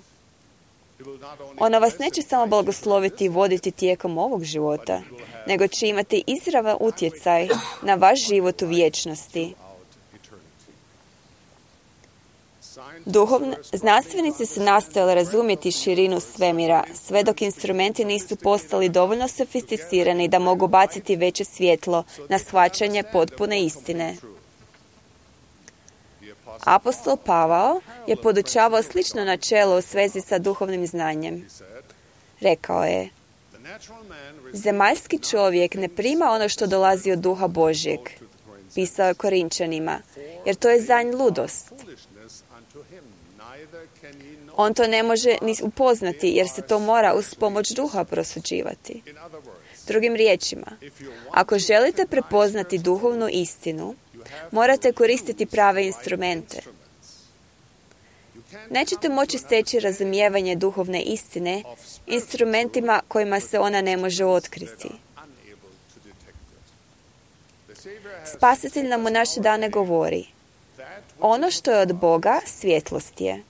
it will not only Ono vas neće samo blagosloviti i voditi tijekom ovog života, nego će imati izravan utjecaj na vaš život u vječnosti. out eternity. Scientists Znanstvenici su nastojali razumjeti širinu svemira, sve dok instrumenti nisu postali dovoljno sofisticirani da mogu baciti veće svjetlo na shvaćanje potpune istine. Apostol Pavao je podučavao slično načelo u svezi sa duhovnim znanjem. Rekao je, the natural man receives zemaljski čovjek ne prima ono što dolazi od duha Božjeg, pisao je Korinčanima, jer to je za nj ludost. foolishness unto him, neither can he know. On to ne može ni upoznati, jer se to mora uz pomoć duha prosuđivati. In other words, Drugim riječima, if you want ako želite prepoznati duhovnu istinu, morate koristiti prave instrumente. Nećete moći steći razumijevanje duhovne istine instrumentima kojima se ona ne može otkriti. unable to detect it. The Savior has Spasitelj nam u naše dane govori, that ono što je od Boga, svjetlost je.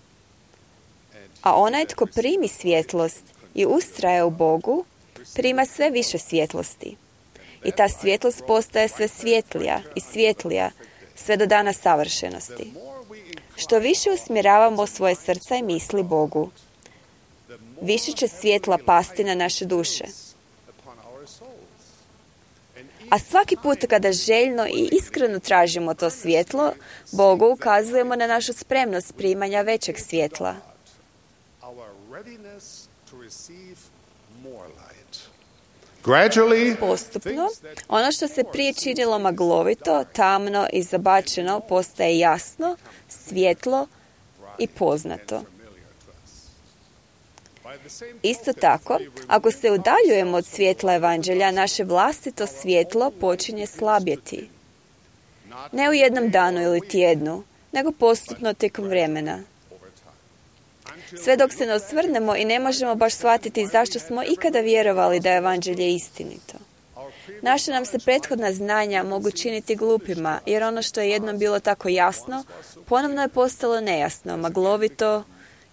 A onaj tko primi svjetlost i ustraje u Bogu, prima sve više svjetlosti. I ta svjetlost postaje sve svjetlija i svjetlija, sve do dana savršenosti. Što više usmjeravamo svoje srca i misli Bogu, više će svjetla pasti na naše duše. upon our souls. A svaki put kada željno i iskreno tražimo to svjetlo, Bogu ukazujemo na našu spremnost primanja većeg svjetla. Our readiness to receive more light. Gradually, Postupno, ono što se prije činilo maglovito, tamno i zabačeno postaje jasno, svjetlo i poznato. Isto tako, ako se udaljujemo od svjetla evanđelja, naše vlastito svjetlo počinje slabjeti. Ne u jednom danu ili tjednu, nego postupno tijekom vremena. Sve dok se ne osvrnemo i ne možemo baš shvatiti zašto smo ikada vjerovali da je evanđelje istinito. Naša nam se prethodna znanja mogu činiti glupima, jer ono što je jednom bilo tako jasno, ponovno je postalo nejasno, maglovito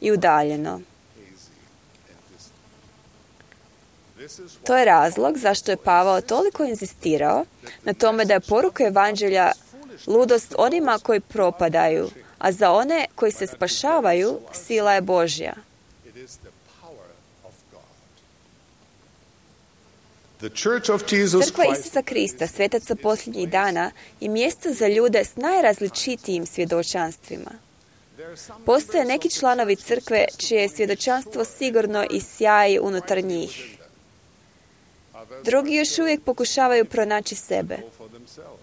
i udaljeno. To je razlog zašto je Pavao toliko inzistirao na tome da je poruka evanđelja ludost onima koji propadaju, a za one koji se spašavaju sila je Božja. it is the power of God. The Church of Jesus Crkva Christ Isusa Krista, svetaca posljednjih dana, je mjesto za ljude s najrazličitijim svjedočanstvima. Postoje neki članovi crkve čije je svjedočanstvo sigurno i sjaji unutar njih. Drugi još uvijek pokušavaju pronaći sebe. for themselves.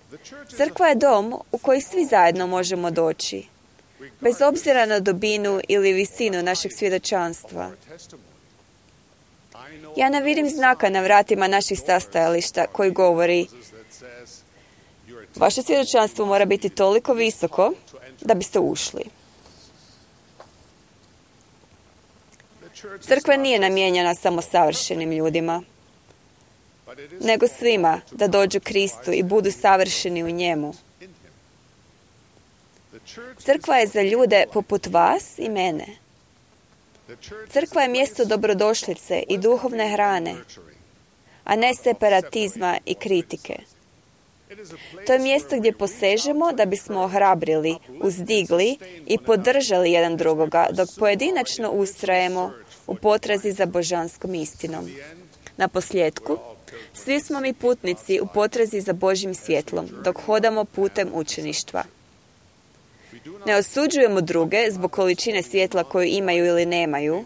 The church is Crkva je dom u koji svi zajedno možemo doći, bez obzira na dubinu ili visinu našeg svjedočanstva. testimony. I know Ja ne vidim znaka na vratima naših sastajališta koji govori that says you're vaše svjedočanstvo mora biti toliko visoko da biste ušli. the church Crkva nije namijenjena samo savršenim ljudima. nego svima da dođu Kristu i budu savršeni u njemu. Crkva je za ljude poput vas i mene. Crkva je mjesto dobrodošlice i duhovne hrane, a ne separatizma i kritike. To je mjesto gdje posežemo da bismo ohrabrili, uzdigli i podržali jedan drugoga, dok pojedinačno ustrajemo u potrazi za božanskom istinom. Na posljedku, svi smo mi putnici u potrazi za Božjim svjetlom, dok hodamo putem učeništva. Ne osuđujemo druge zbog količine svjetla koju imaju ili nemaju,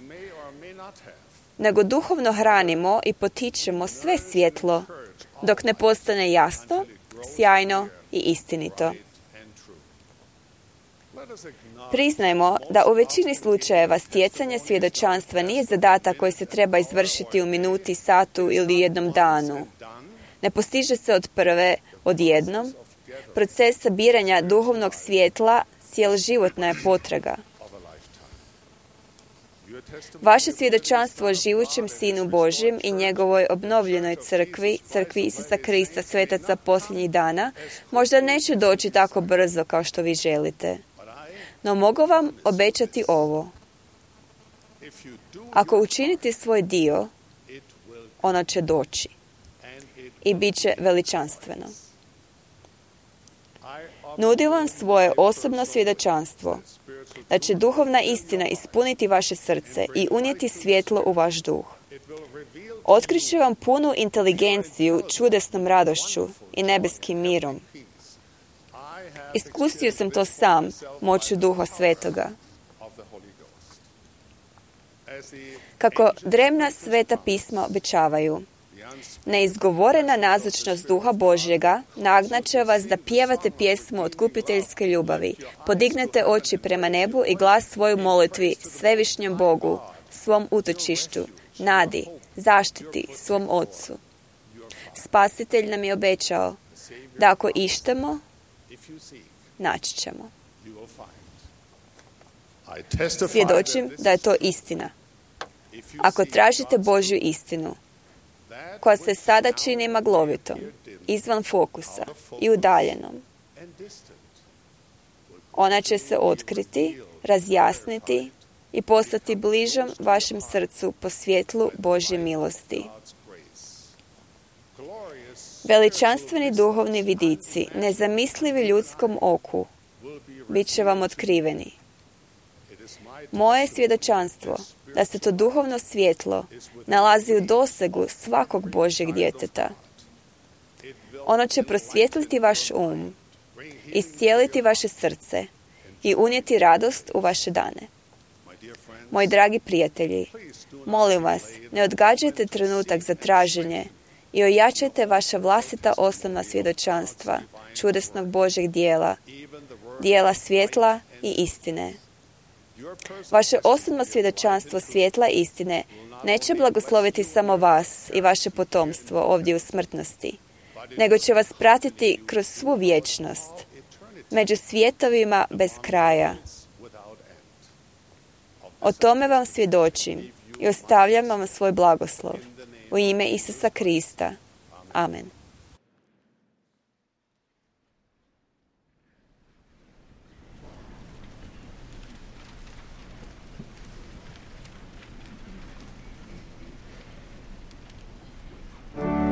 nego duhovno hranimo i potičemo sve svjetlo dok ne postane jasno, sjajno i istinito. Priznajmo da u većini slučajeva stjecanje svjedočanstva nije zadatak koji se treba izvršiti u minuti, satu ili jednom danu. Ne postiže se od prve, odjednom. Proces sabiranja duhovnog svjetla cjeloživotna je potraga. Vaše svjedočanstvo o živućem Sinu Božjem i njegovoj obnovljenoj crkvi, crkvi Isusa Krista, svetaca posljednjih dana, možda neće doći tako brzo kao što vi želite. No mogu vam obećati ovo. Ako učinite svoj dio, ono će doći i bit će veličanstveno. Nudim vam svoje osobno svjedočanstvo da će duhovna istina ispuniti vaše srce i unijeti svjetlo u vaš duh. Otkriće vam punu inteligenciju čudesnom radošću i nebeskim mirom. Iskusio sam to sam moću Duha Svetoga. Kako drevna sveta pisma obećavaju, neizgovorena nazočnost Duha Božjega nagnat vas da pjevate pjesmu otkupiteljske ljubavi. Podignete oči prema nebu i glas svoju molitvi svevišnjem Bogu, svom utočištu, nadi, zaštiti, svom Otcu. Spasitelj nam je obećao da ako ištemo, naći ćemo. Svjedočim da je to istina. Ako tražite Božju istinu, koja se sada čini maglovitom, izvan fokusa i udaljenom, ona će se otkriti, razjasniti i postati bližom vašem srcu po svjetlu Božje milosti. Veličanstveni duhovni vidici, nezamislivi ljudskom oku, bit će vam otkriveni. Moje svjedočanstvo da se to duhovno svjetlo nalazi u dosegu svakog Božjeg djeteta. Ono će prosvjetliti vaš um, iscijeliti vaše srce i unijeti radost u vaše dane. Moji dragi prijatelji, molim vas, ne odgađajte trenutak za traženje i ojačajte vaša vlastita osnovna svjedočanstva čudesnog Božjeg dijela, dijela svjetla i istine. Vaše osobno svjedočanstvo svjetla istine neće blagosloviti samo vas i vaše potomstvo ovdje u smrtnosti, nego će vas pratiti kroz svu vječnost, među svjetovima bez kraja. O tome vam svjedočim i ostavljam vam svoj blagoslov. U ime Isusa Krista. Amen. Well,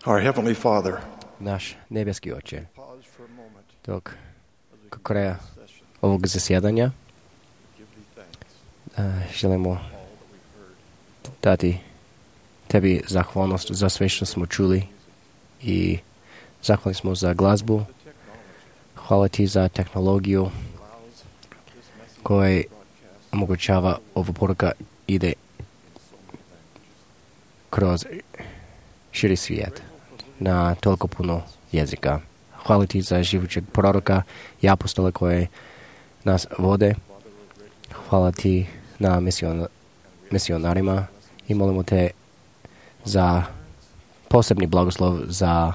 Our Heavenly Father, Naš nebeski Oče, pause for a moment dok kod kraja ovog zasjedanja želimo dati Tebi zahvalnost za sve što smo čuli i zahvalni smo za glazbu. Hvala Ti za tehnologiju koja omogućava ova poruka ide kroz širi svijet na toliko puno jezika. Hvala Ti za živućeg proroka i apostole koje nas vode. Hvala Ti na misionarima i molimo Te za posebni blagoslov za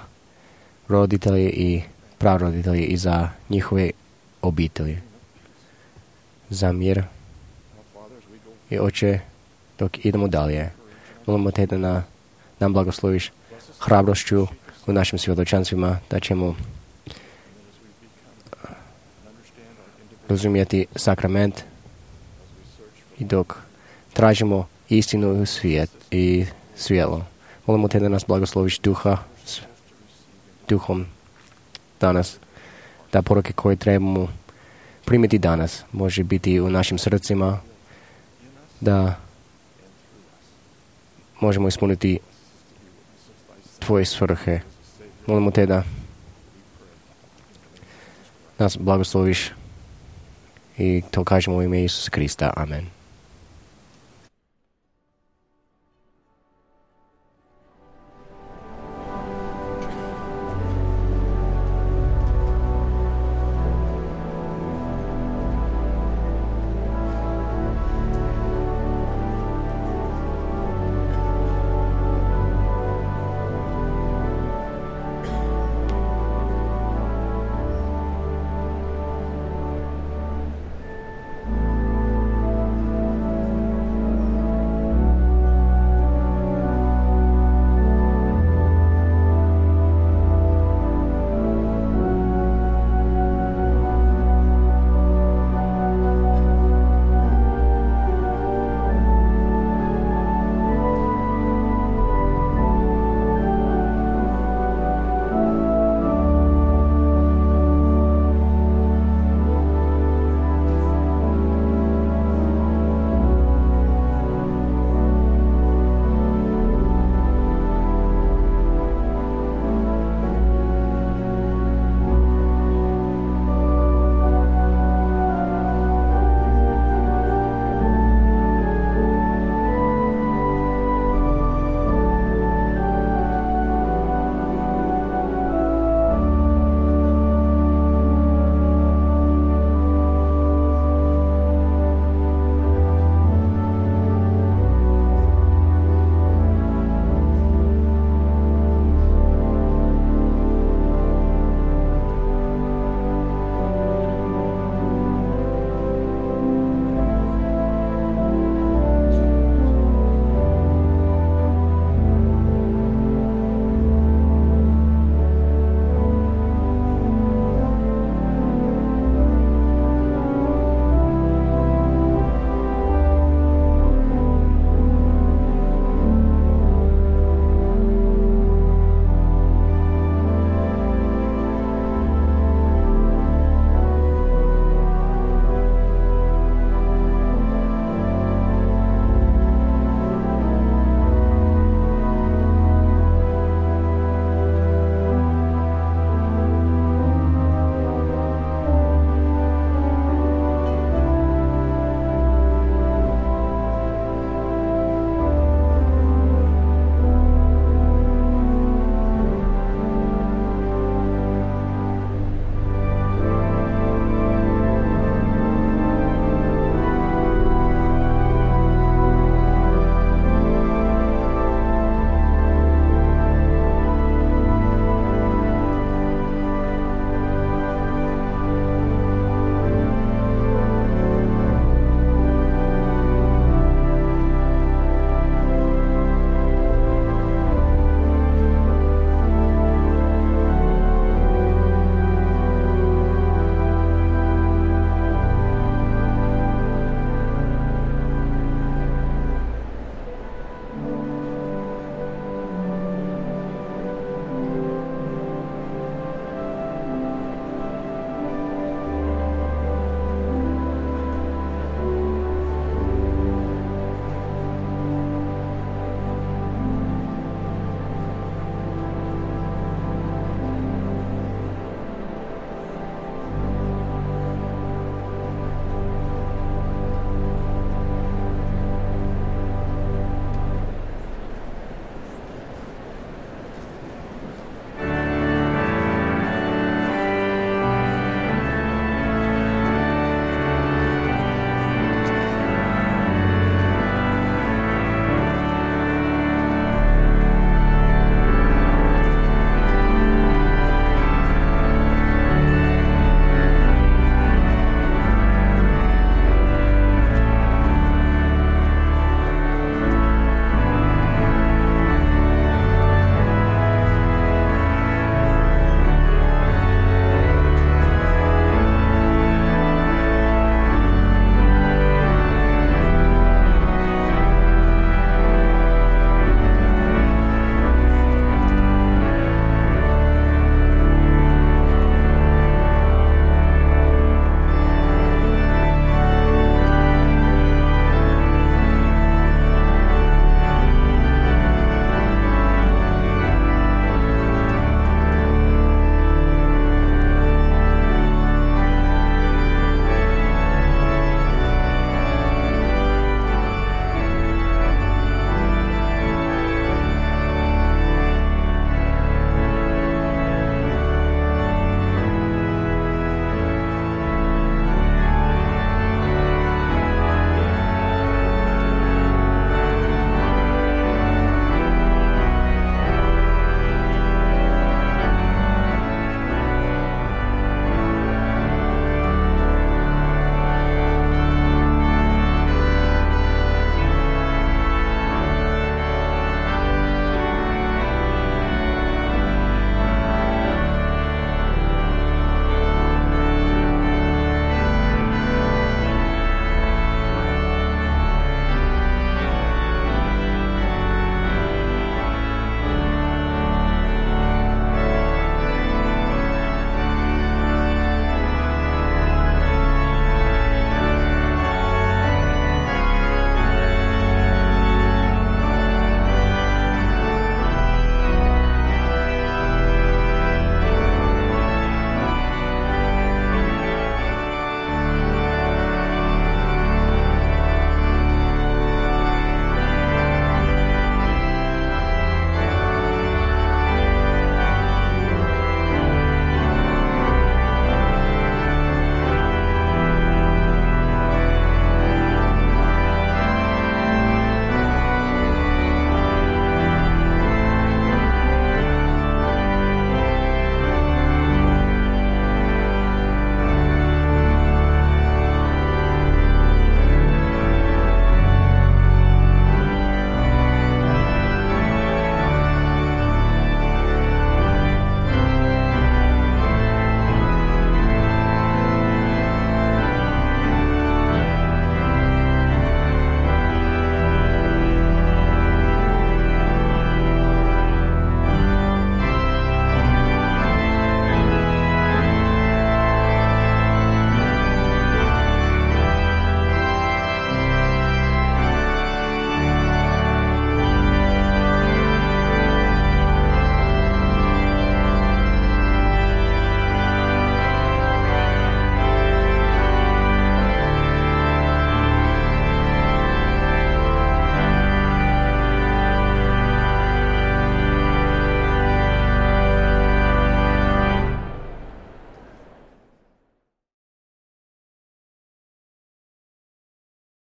roditelje i praroditelje i za njihove obitelji. Za mir. I Oče, dok idemo dalje, molimo Te da nam blagosloviš hrabrošću u našim svjedočanstvima, da ćemo razumjeti sakrament i dok tražimo istinu u svijet i svjetlo. Molimo Te da nas blagosloviš duhom danas, da poruke koje trebamo primiti danas može biti u našim srcima, da možemo ispuniti Tvoje svrhe. Molimo Te da nas blagosloviš i to kažemo u ime Isusa Krista. Amen.